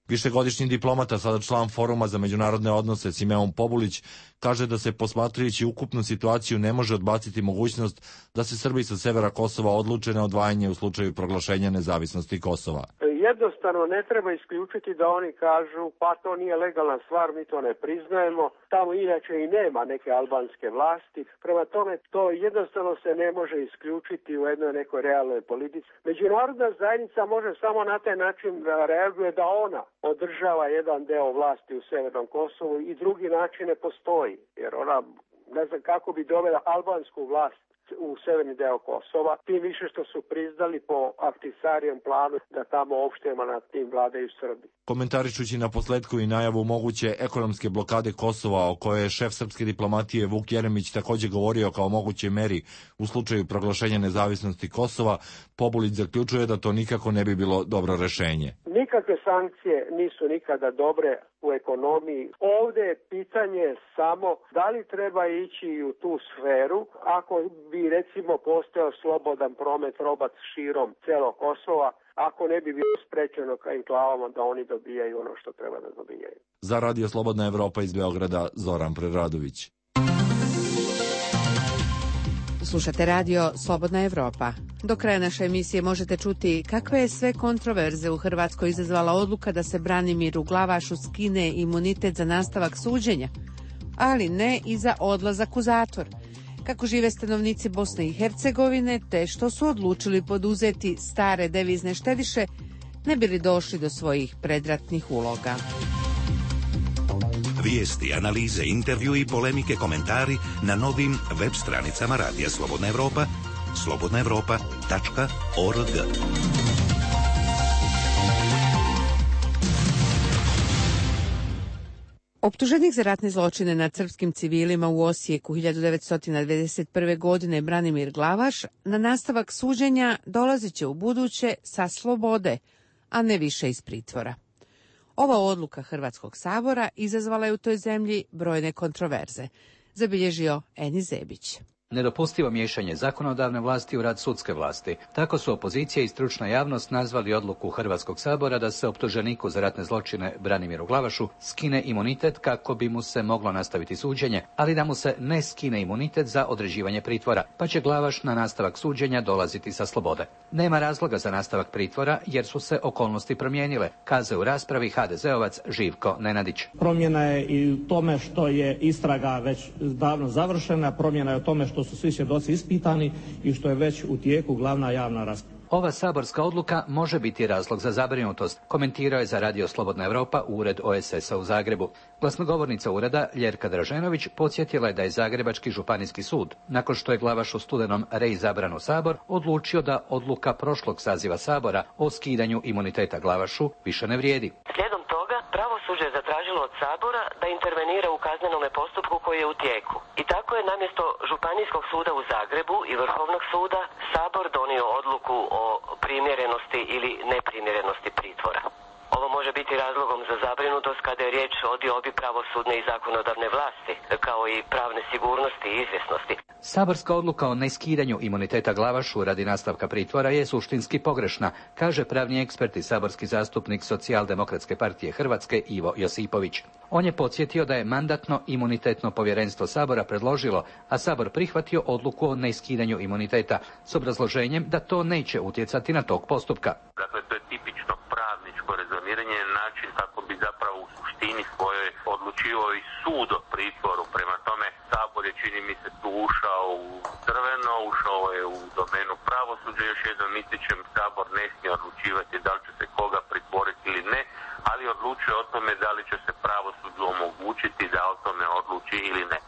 Višegodišnji diplomata, sada član Foruma za međunarodne odnose Simeon Pobulić, kaže da se posmatrajući ukupnu situaciju ne može odbaciti mogućnost da se Srbi sa severa Kosova odluče na odvajanje u slučaju proglašenja nezavisnosti Kosova. Jednostavno ne treba isključiti da oni kažu pa to nije legalna stvar, mi to ne priznajemo, tamo inače i nema neke albanske vlasti, prema tome to jednostavno se ne može isključiti u jednoj nekoj realnoj politici. Međunarodna zajednica može samo na taj način da reaguje da ona održava jedan deo vlasti u severnom Kosovu i drugi način ne postoji, jer ona ne znam kako bi dovela albansku vlast u severni deo Kosova, tim više što su priznali po Ahtisarijem planu da tamo opštijama nad tim vladaju Srbi. Komentarišući na posledku i najavu moguće ekonomske blokade Kosova, o kojoj je šef srpske diplomatije Vuk Jeremić takođe govorio kao mogućoj meri u slučaju proglašenja nezavisnosti Kosova, Pobulić zaključuje da to nikako ne bi bilo dobro rešenje. Nikakve sankcije nisu nikada dobre u ekonomiji. Ovde je pitanje samo da li treba ići u tu sferu ako bi recimo postojao slobodan promet roba širom celog Kosova, ako ne bi bilo sprečeno ka enklavama da oni dobijaju ono što treba da dobijaju. Za Radio Slobodna Evropa iz Beograda, Zoran Preradović. Slušate radio Slobodna Evropa. Do kraja naše emisije možete čuti kakve je sve kontroverze u Hrvatskoj izazvala odluka da se Branimiru Glavašu skine imunitet za nastavak suđenja, ali ne i za odlazak u zatvor. Kako žive stanovnici Bosne i Hercegovine, te što su odlučili poduzeti stare devizne štediše, ne bi li došli do svojih predratnih uloga. Vijesti, analize, intervju i polemike, komentari na novim web stranicama Radija Slobodna Evropa, slobodnaevropa.org. Optuženik za ratne zločine nad srpskim civilima u Osijeku 1991. godine Branimir Glavaš na nastavak suđenja dolazit će u buduće sa slobode, a ne više iz pritvora. Ova odluka Hrvatskog sabora izazvala je u toj zemlji brojne kontroverze, zabilježio Eni Zebić. nedopustivo miješanje zakonodavne vlasti u rad sudske vlasti. Tako su opozicija i stručna javnost nazvali odluku Hrvatskog sabora da se optuženiku za ratne zločine Branimiru Glavašu skine imunitet kako bi mu se moglo nastaviti suđenje, ali da mu se ne skine imunitet za određivanje pritvora, pa će Glavaš na nastavak suđenja dolaziti sa slobode. Nema razloga za nastavak pritvora jer su se okolnosti promijenile, kazao u raspravi HDZ-ovac Živko Nenadić. Promjena je i u tome što je istraga već davno završena, promjena je u tome što su svi svjedoci ispitani i što je već u tijeku glavna javna rasprava. Ova saborska odluka može biti razlog za zabrinutost, komentirao je za Radio Slobodna Europa ured OESS-a u Zagrebu. Glasnogovornica ureda Ljerka Draženović podsjetila je da je Zagrebački županijski sud, nakon što je Glavaš u studenom reizabran u Sabor, odlučio da odluka prošlog saziva Sabora o skidanju imuniteta Glavašu više ne vrijedi. Slijedom toga, pravosuđe je zatražilo od Sabora da intervenira u kaznenome postupku koji je u tijeku. I tako je namjesto Županijskog suda u Zagrebu i Vrhovnog suda Sabor donio odluku o primjerenosti ili neprimjerenosti pritvora. Ovo može biti razlogom za zabrinutost kada je riječ o diobi pravosudne i zakonodavne vlasti, kao i pravne sigurnosti i izvjesnosti. Saborska odluka o neskidanju imuniteta Glavašu radi nastavka pritvora je suštinski pogrešna, kaže pravni ekspert i saborski zastupnik Socijaldemokratske partije Hrvatske Ivo Josipović. On je podsjetio da je Mandatno-imunitetno povjerenstvo Sabora predložilo, a Sabor prihvatio odluku o neskidanju imuniteta s obrazloženjem da to neće utjecati na tok postupka. Dakle, to je tipično pravničko rezomiranje, način kako bi zapravo u suštini svojoj odlučivao i sud o pritvoru. Prema tome, Sabor je, čini mi se, tu ušao u crveno, ušao je u domenu pravosuđa. Još jednom ističem, Sabor ne smije odlučivati da li će se koga pritvoriti ili ne, ali odlučuje o tome da li će se pravosuđu omogućiti da o tome odluči ili ne.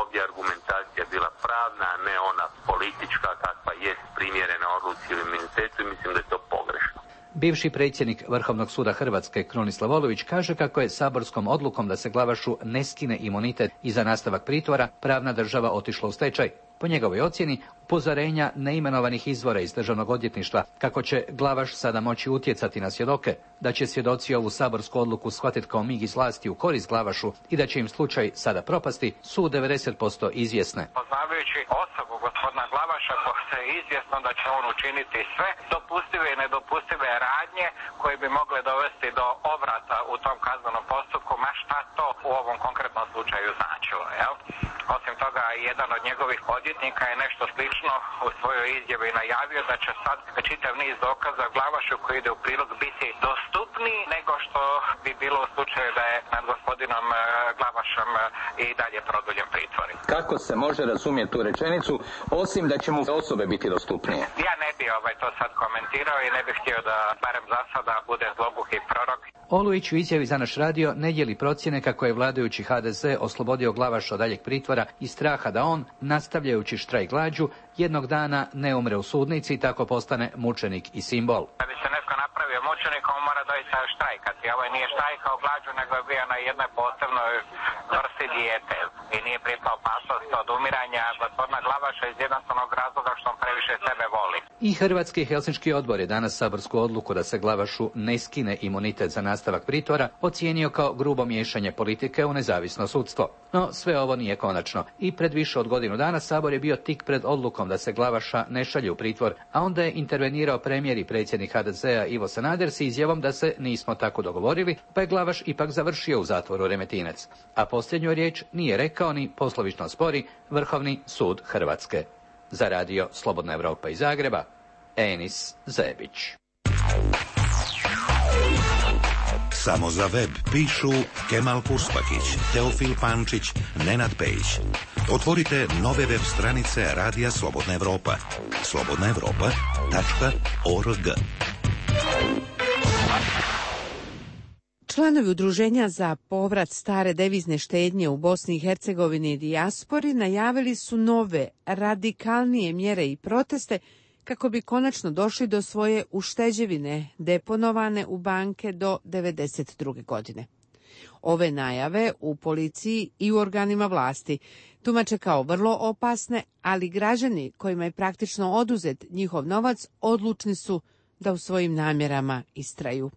Ovdje argumentacija bila pravna, a ne ona politička kakva jest primjerena odluci ili imunitetu i mislim da je to pogrešno. Bivši predsjednik Vrhovnog suda Hrvatske Krunoslav Olović kaže kako je saborskom odlukom da se Glavašu ne skine imunitet i za nastavak pritvora pravna država otišla u stečaj. Po njegovoj ocjeni, upozorenja neimenovanih izvora iz Državnog odvjetništva kako će Glavaš sada moći utjecati na svjedoke, da će svjedoci ovu saborsku odluku shvatiti kao mig iz vlasti u korist Glavašu i da će im slučaj sada propasti, su 90% izvjesne. Poznavajući osobu gospodina Glavaša, je izvjesno da će on učiniti sve dopustive i nedopustive radnje koje bi mogle dovesti do obrata u tom kaznenom postupku, ma šta to u ovom konkretnom slučaju značilo, jel? Osim toga, jedan od njegovih odvjetnika je nešto slično u svojoj izjavi najavio da će sad čitav niz dokaza Glavašu koji ide u prilog biti dostupniji nego što bi bilo u slučaju da je nad gospodinom Glavašom i dalje produljen pritvor. Kako se može razumjeti tu rečenicu, osim da će mu osobe biti dostupnije? Ja ne bi to sad komentirao i ne bih htio da barem za sada bude zloguki prorok. Olujić u izjavi za naš radio ne dijeli procjene kako je vladajući HDZ oslobodio Glavaša od daljeg pritvora i straha da on, nastavljajući štrajk glađu, jednog dana ne umre u sudnici i tako postane mučenik i simbol. Da bi se netko napravio mučenik, on mora doista štrajkati. Ovo nije štrajkao glađu, nego je bio na jednoj posebnoj vrsti dijete i nije pripao opasnost od umiranja gospodina Glavaša iz jednostavnog razloga što on previše sebe voli. I Hrvatski Helsinški odbor je danas saborsku odluku da se Glavašu ne skine imunitet za nastavak pritvora ocijenio kao grubo miješanje politike u nezavisno sudstvo. No, sve ovo nije konačno. I pred više od godinu dana Sabor je bio tik pred odlukom da se Glavaša ne šalje u pritvor, a onda je intervenirao premijer i predsjednik HDZ-a Ivo Sanader s izjavom da se nismo tako dogovorili, pa je Glavaš ipak završio u zatvoru Remetinec. A posljednju riječ nije rekao ni poslovično spori Vrhovni sud Hrvatske. Za radio Slobodna Europa iz Zagreba, Enis Zebić. Samo za web pišu Kemal Puspakić, Teofil Pančić, Nenad Pejić. Otvorite nove web stranice Radija Slobodna Europa. slobodnaevropa.org. Članovi Udruženja za povrat stare devizne štednje u Bosni i Hercegovini i dijaspori najavili su nove, radikalnije mjere i proteste kako bi konačno došli do svoje ušteđevine deponovane u banke do 1992. godine. Ove najave u policiji i u organima vlasti tumače kao vrlo opasne, ali građani kojima je praktično oduzet njihov novac odlučni su da u svojim namjerama istraju.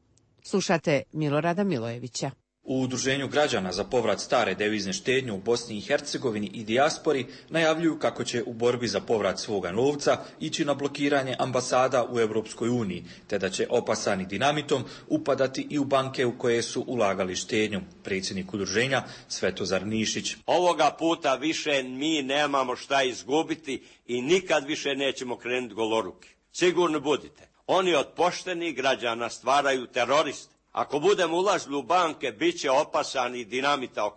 Slušate Milorada Milojevića. U Udruženju građana za povrat stare devizne štednje u Bosni i Hercegovini i dijaspori najavljuju kako će u borbi za povrat svoga novca ići na blokiranje ambasada u Europskoj uniji, te da će opasani dinamitom upadati i u banke u koje su ulagali štednju. Predsjednik udruženja Svetozar Nišić. Ovoga puta više mi nemamo šta izgubiti i nikad više nećemo krenuti goloruki. Sigurno budite. Oni od poštenih građana stvaraju teroriste. Ako budemo ulazili u banke, bit će opasani dinamita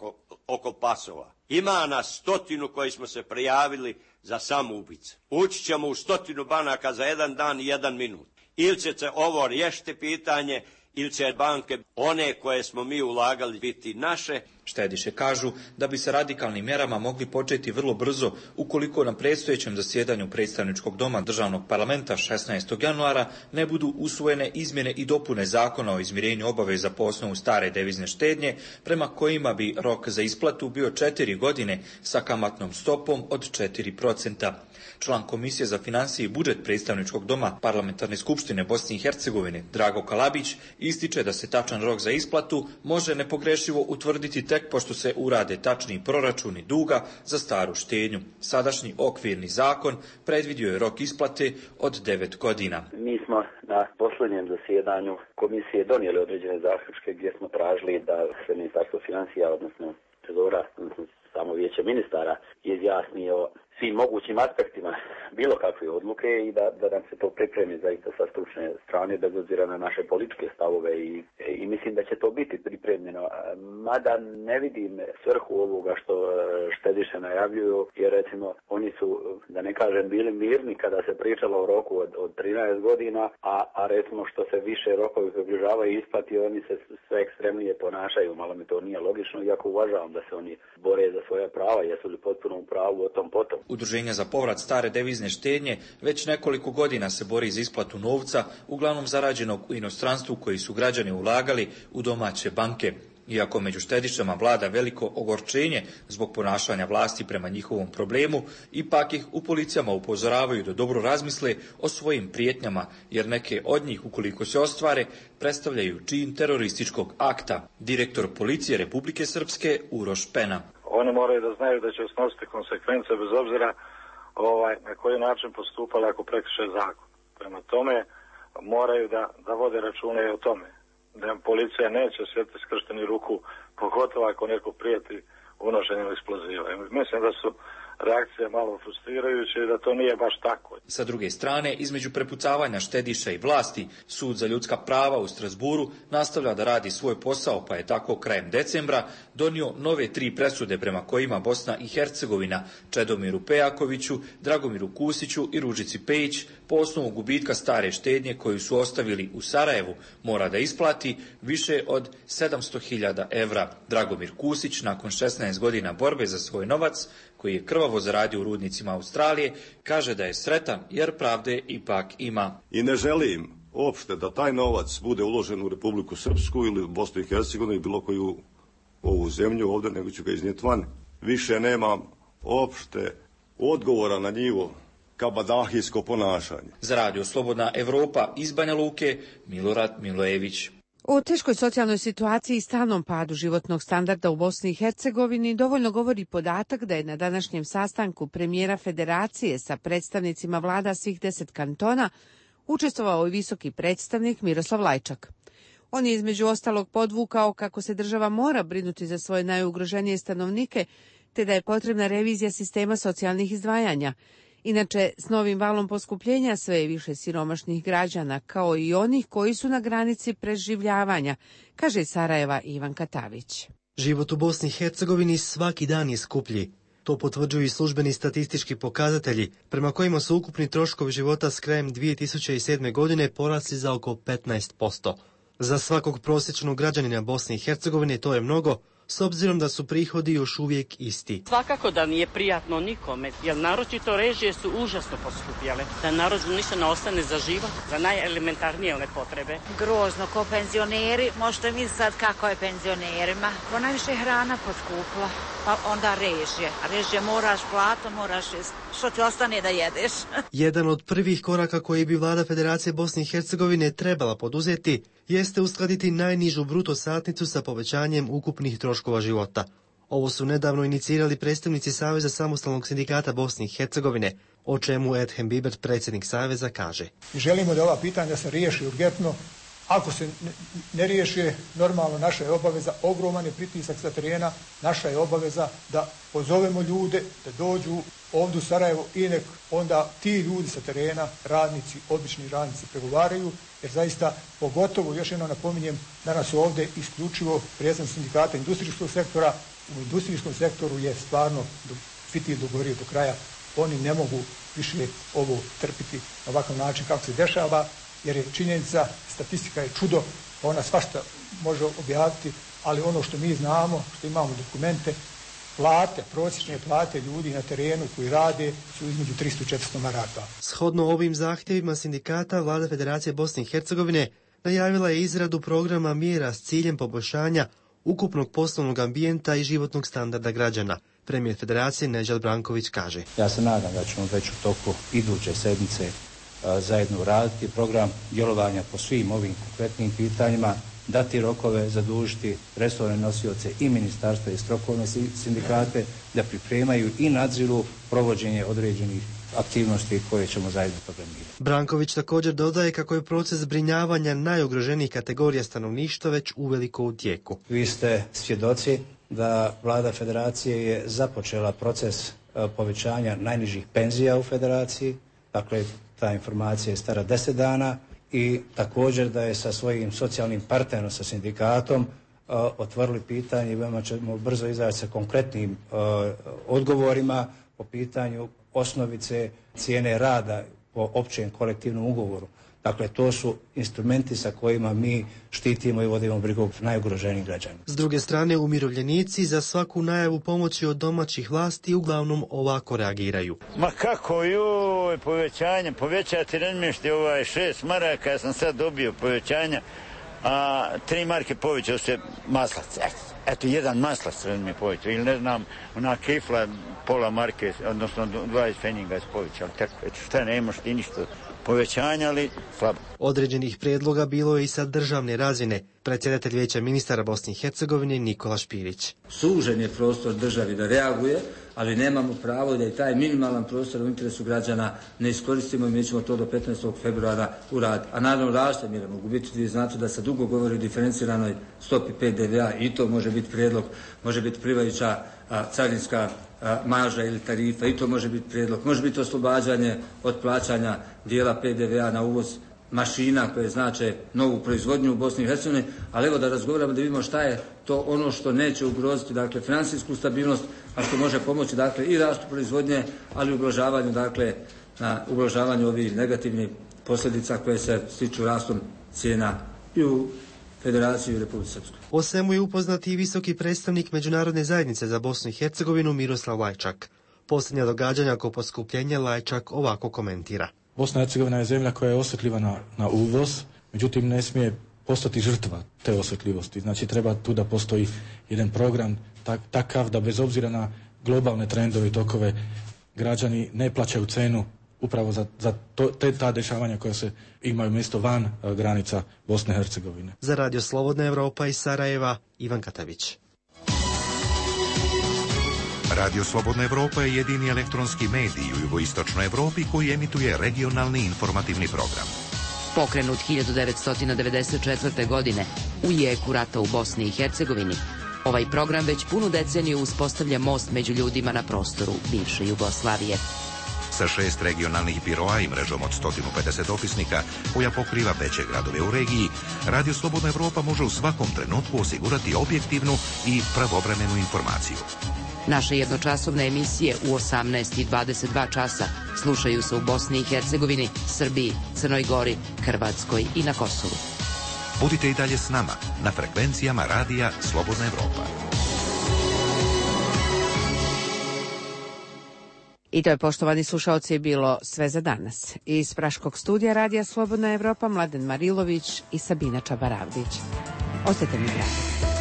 oko pasova. Ima nas 100 koji smo se prijavili za samoubice. Ući ćemo u 100 banaka za 1 dan i 1 minut. Ili će se ovo riješiti pitanje, ili će banke, one koje smo mi ulagali, biti naše. Štediše kažu da bi se radikalnim mjerama mogli početi vrlo brzo ukoliko na predstojećem zasjedanju predstavničkog doma državnog parlamenta 16. januara ne budu usvojene izmjene i dopune zakona o izmirenju obaveza po osnovu stare devizne štednje, prema kojima bi rok za isplatu bio 4 godine sa kamatnom stopom od 4%. Član Komisije za financije i budžet predstavničkog doma Parlamentarne skupštine Bosne i Hercegovine Drago Kalabić ističe da se tačan rok za isplatu može nepogrešivo utvrditi tek pošto se urade tačni proračuni duga za staru štednju. Sadašnji okvirni zakon predvidio je rok isplate od 9 godina. Mi smo na posljednjem zasjedanju komisije donijeli određene zaključke gdje smo tražili da se Ministarstvo financija, odnosno trezora, odnosno samo vijeće ministara, izjasni o svim mogućim aspektima bilo kakve odluke i da nam se to pripremi zaista sa stručne strane, bez obzira na naše političke stavove i mislim da će to biti pripremljeno. Mada ne vidim svrhu ovoga što štediše najavljuju, jer recimo oni su, da ne kažem, bili mirni kada se pričalo o roku od 13 godina, a recimo što se više rokovi približavaju isplati, oni se sve ekstremnije ponašaju. Malo mi to nije logično, iako uvažavam da se oni bore za svoja prava, jesu li potpuno u pravu o tom potom. Udruženje za povrat stare devizne štednje već nekoliko godina se bori za isplatu novca, uglavnom zarađenog u inostranstvu koji su građani ulagali u domaće banke. Iako među štedišama vlada veliko ogorčenje zbog ponašanja vlasti prema njihovom problemu, ipak ih u policijama upozoravaju da dobro razmisle o svojim prijetnjama, jer neke od njih, ukoliko se ostvare, predstavljaju čin terorističkog akta. Direktor policije Republike Srpske Uroš Pena. Oni moraju da znaju da će snositi konsekvence bez obzira na koji način postupali ako prekrše zakon. Prema tome moraju da vode račune i o tome. Da policija neće sjediti skršteni ruku, pogotovo ako neko prijeti unošenjem eksploziva. Mislim da su reakcije malo frustrirajuće i da to nije baš tako. Sa druge strane, između prepucavanja štediša i vlasti, Sud za ljudska prava u Strasburu nastavlja da radi svoj posao, pa je tako krajem decembra donio nove 3 presude prema kojima Bosna i Hercegovina Čedomiru Pejakoviću, Dragomiru Kusiću i Ružici Pejić po osnovu gubitka stare štednje koju su ostavili u Sarajevu mora da isplati više od 700.000 evra. Dragomir Kusić, nakon 16 godina borbe za svoj novac, koji je krvavo zaradio u rudnicima Australije, kaže da je sretan jer pravde ipak ima. I ne želim uopšte da taj novac bude uložen u Republiku Srpsku ili Bosnu i Hercegovinu ili bilo koju ovu zemlju ovdje, nego ću ga iznijeti van. Više nemam uopšte odgovora na njivo kabadahijsko ponašanje. Za Radio Slobodna Evropa iz Banja Luke, Milorad Milojević. O teškoj socijalnoj situaciji i stalnom padu životnog standarda u Bosni i Hercegovini dovoljno govori podatak da je na današnjem sastanku premijera Federacije sa predstavnicima vlada svih 10 kantona učestvovao i visoki predstavnik Miroslav Lajčak. On je između ostalog podvukao kako se država mora brinuti za svoje najugroženije stanovnike, te da je potrebna revizija sistema socijalnih izdvajanja. Inače, s novim valom poskupljenja sve je više siromašnih građana, kao i onih koji su na granici preživljavanja, kaže iz Sarajeva Ivan Katavić. Život u Bosni i Hercegovini svaki dan je skuplji. To potvrđuju i službeni statistički pokazatelji, prema kojima su ukupni troškovi života s krajem 2007. godine porasli za oko 15%. Za svakog prosječnog građanina Bosne i Hercegovine to je mnogo, s obzirom da su prihodi još uvijek isti. Svakako da nije prijatno nikome, jer naročito režije su užasno poskupjele. Da narodu ništa ne ostane za život, za najelementarnije one potrebe. Grozno, ko penzioneri, možete mi sad kako je penzionerima. Ko najviše hrana poskupla, pa onda režije. A režije moraš plato, moraš što ti ostane da jedeš. Jedan od prvih koraka koji bi vlada Federacije Bosne i Hercegovine trebala poduzeti jeste uskladiti najnižu bruto satnicu sa povećanjem ukupnih troškova života. Ovo su nedavno inicirali predstavnici Saveza samostalnog sindikata Bosne i Hercegovine, o čemu Edhem Bibert, predsjednik Saveza, kaže. Želimo da ova pitanja se riješi urgentno. Ako se ne riješi, normalno naša je obaveza, ogroman je pritisak sa terena, naša je obaveza da pozovemo ljude, da dođu ovdje u Sarajevo i nek onda ti ljudi sa terena, radnici, obični radnici pregovaraju, jer zaista pogotovo, još jednom napominjem, danas su ovdje isključivo predstavnici sindikata industrijskog sektora. U industrijskom sektoru je stvarno fitilj dogovorio do kraja. Oni ne mogu više ovo trpiti na ovakav način kako se dešava, jer je činjenica, statistika je čudo, ona svašta može objaviti, ali ono što mi znamo, što imamo dokumente, plate, prosječne plate ljudi na terenu koji rade su između 300 i 400 maraka. Shodno ovim zahtjevima sindikata, Vlada Federacije Bosne i Hercegovine najavila je izradu programa mjera s ciljem poboljšanja ukupnog poslovnog ambijenta i životnog standarda građana. Premijer Federacije Nedžad Branković kaže. Ja se nadam da ćemo već u toku iduće sedmice zajedno raditi program djelovanja po svim ovim konkretnim pitanjima, dati rokove, zadužiti resorne nosioce i ministarstva i strukovne sindikate da pripremaju i nadziru provođenje određenih aktivnosti koje ćemo zajedno programirati. Branković također dodaje kako je proces zbrinjavanja najugroženijih kategorija stanovništva već uveliko u tijeku. Vi ste svjedoci da Vlada Federacije je započela proces povećanja najnižih penzija u Federaciji, dakle ta informacija je stara 10 dana i također da je sa svojim socijalnim partnerom, sa sindikatom, otvorili pitanje i veoma ćemo brzo izaći sa konkretnim odgovorima po pitanju osnovice cijene rada po općem kolektivnom ugovoru. Dakle, to su instrumenti sa kojima mi štitimo i vodimo brigu najugroženijih građana. S druge strane, umirovljenici za svaku najavu pomoći od domaćih vlasti uglavnom ovako reagiraju. Ma kako joj, povećati razmješti 6 maraka, ja sam sad dobio povećanja, a 3 marke povećao se maslac. Eto, jedan maslac mi povećao, ili ne znam, ona kifla pola marke, odnosno 20 feninga je povećao. Tako, eto, šta nemaš ti ništa povećanja, ali slabo. Određenih prijedloga bilo je i sa državne razine. Predsjedatelj Vijeća ministara Bosne i Hercegovine Nikola Špirić. Sužen je prostor državi da reaguje, ali nemamo pravo da i taj minimalan prostor u interesu građana ne iskoristimo i mi ćemo to do 15. februara uraditi. A naravno različite mjere mogu biti, vi znate da se dugo govori o diferenciranoj stopi PDV-a i to može biti prijedlog, može biti plivajuća carinska marža ili tarifa i to može biti prijedlog, može biti oslobađanje od plaćanja dijela PDV-a na uvoz mašina koje znače novu proizvodnju u Bosni i Hercegovini, ali evo da razgovaramo da vidimo šta je to ono što neće ugroziti, dakle, financijsku stabilnost, a što može pomoći, dakle, i rastu proizvodnje, ali i ublažavanju, dakle, na ublažavanju ovih negativnih posljedica koje se stiču rastom cijena i u Federaciji i Republike Srpskoj. O svemu je upoznati i visoki predstavnik Međunarodne zajednice za Bosnu i Hercegovinu Miroslav Lajčak. Posljednja događanja oko poskupljenja Lajčak ovako komentira. Bosna i Hercegovina je zemlja koja je osjetljiva na uvoz, međutim ne smije postati žrtva te osjetljivosti. Znači treba tu da postoji jedan program takav da bez obzira na globalne trendove i tokove građani ne plaćaju cenu upravo za ta dešavanja koja se imaju mjesto van granica Bosne i Hercegovine. Za Radio Slobodna Evropa iz Sarajeva, Ivan Katavić. Radio Slobodna Evropa je jedini elektronski medij u jugoistočnoj Evropi koji emituje regionalni informativni program. Pokrenut 1994. godine u jeku rata u Bosni i Hercegovini, ovaj program već punu deceniju uspostavlja most među ljudima na prostoru bivše Jugoslavije. Sa 6 regionalnih biroa i mrežom od 150 opisnika koja pokriva veće gradove u regiji, Radio Slobodna Evropa može u svakom trenutku osigurati objektivnu i pravovremenu informaciju. Naše jednočasovne emisije u 18 i 22 časa slušaju se u Bosni i Hercegovini, Srbiji, Crnoj Gori, Hrvatskoj i na Kosovu. Budite i dalje s nama na frekvencijama Radija Slobodna Evropa. I to je, poštovani slušaoci, bilo sve za danas. Iz Praškog studija Radija Slobodna Evropa Mladen Marilović i Sabina Čabaravdić. Ostajte mi dragi.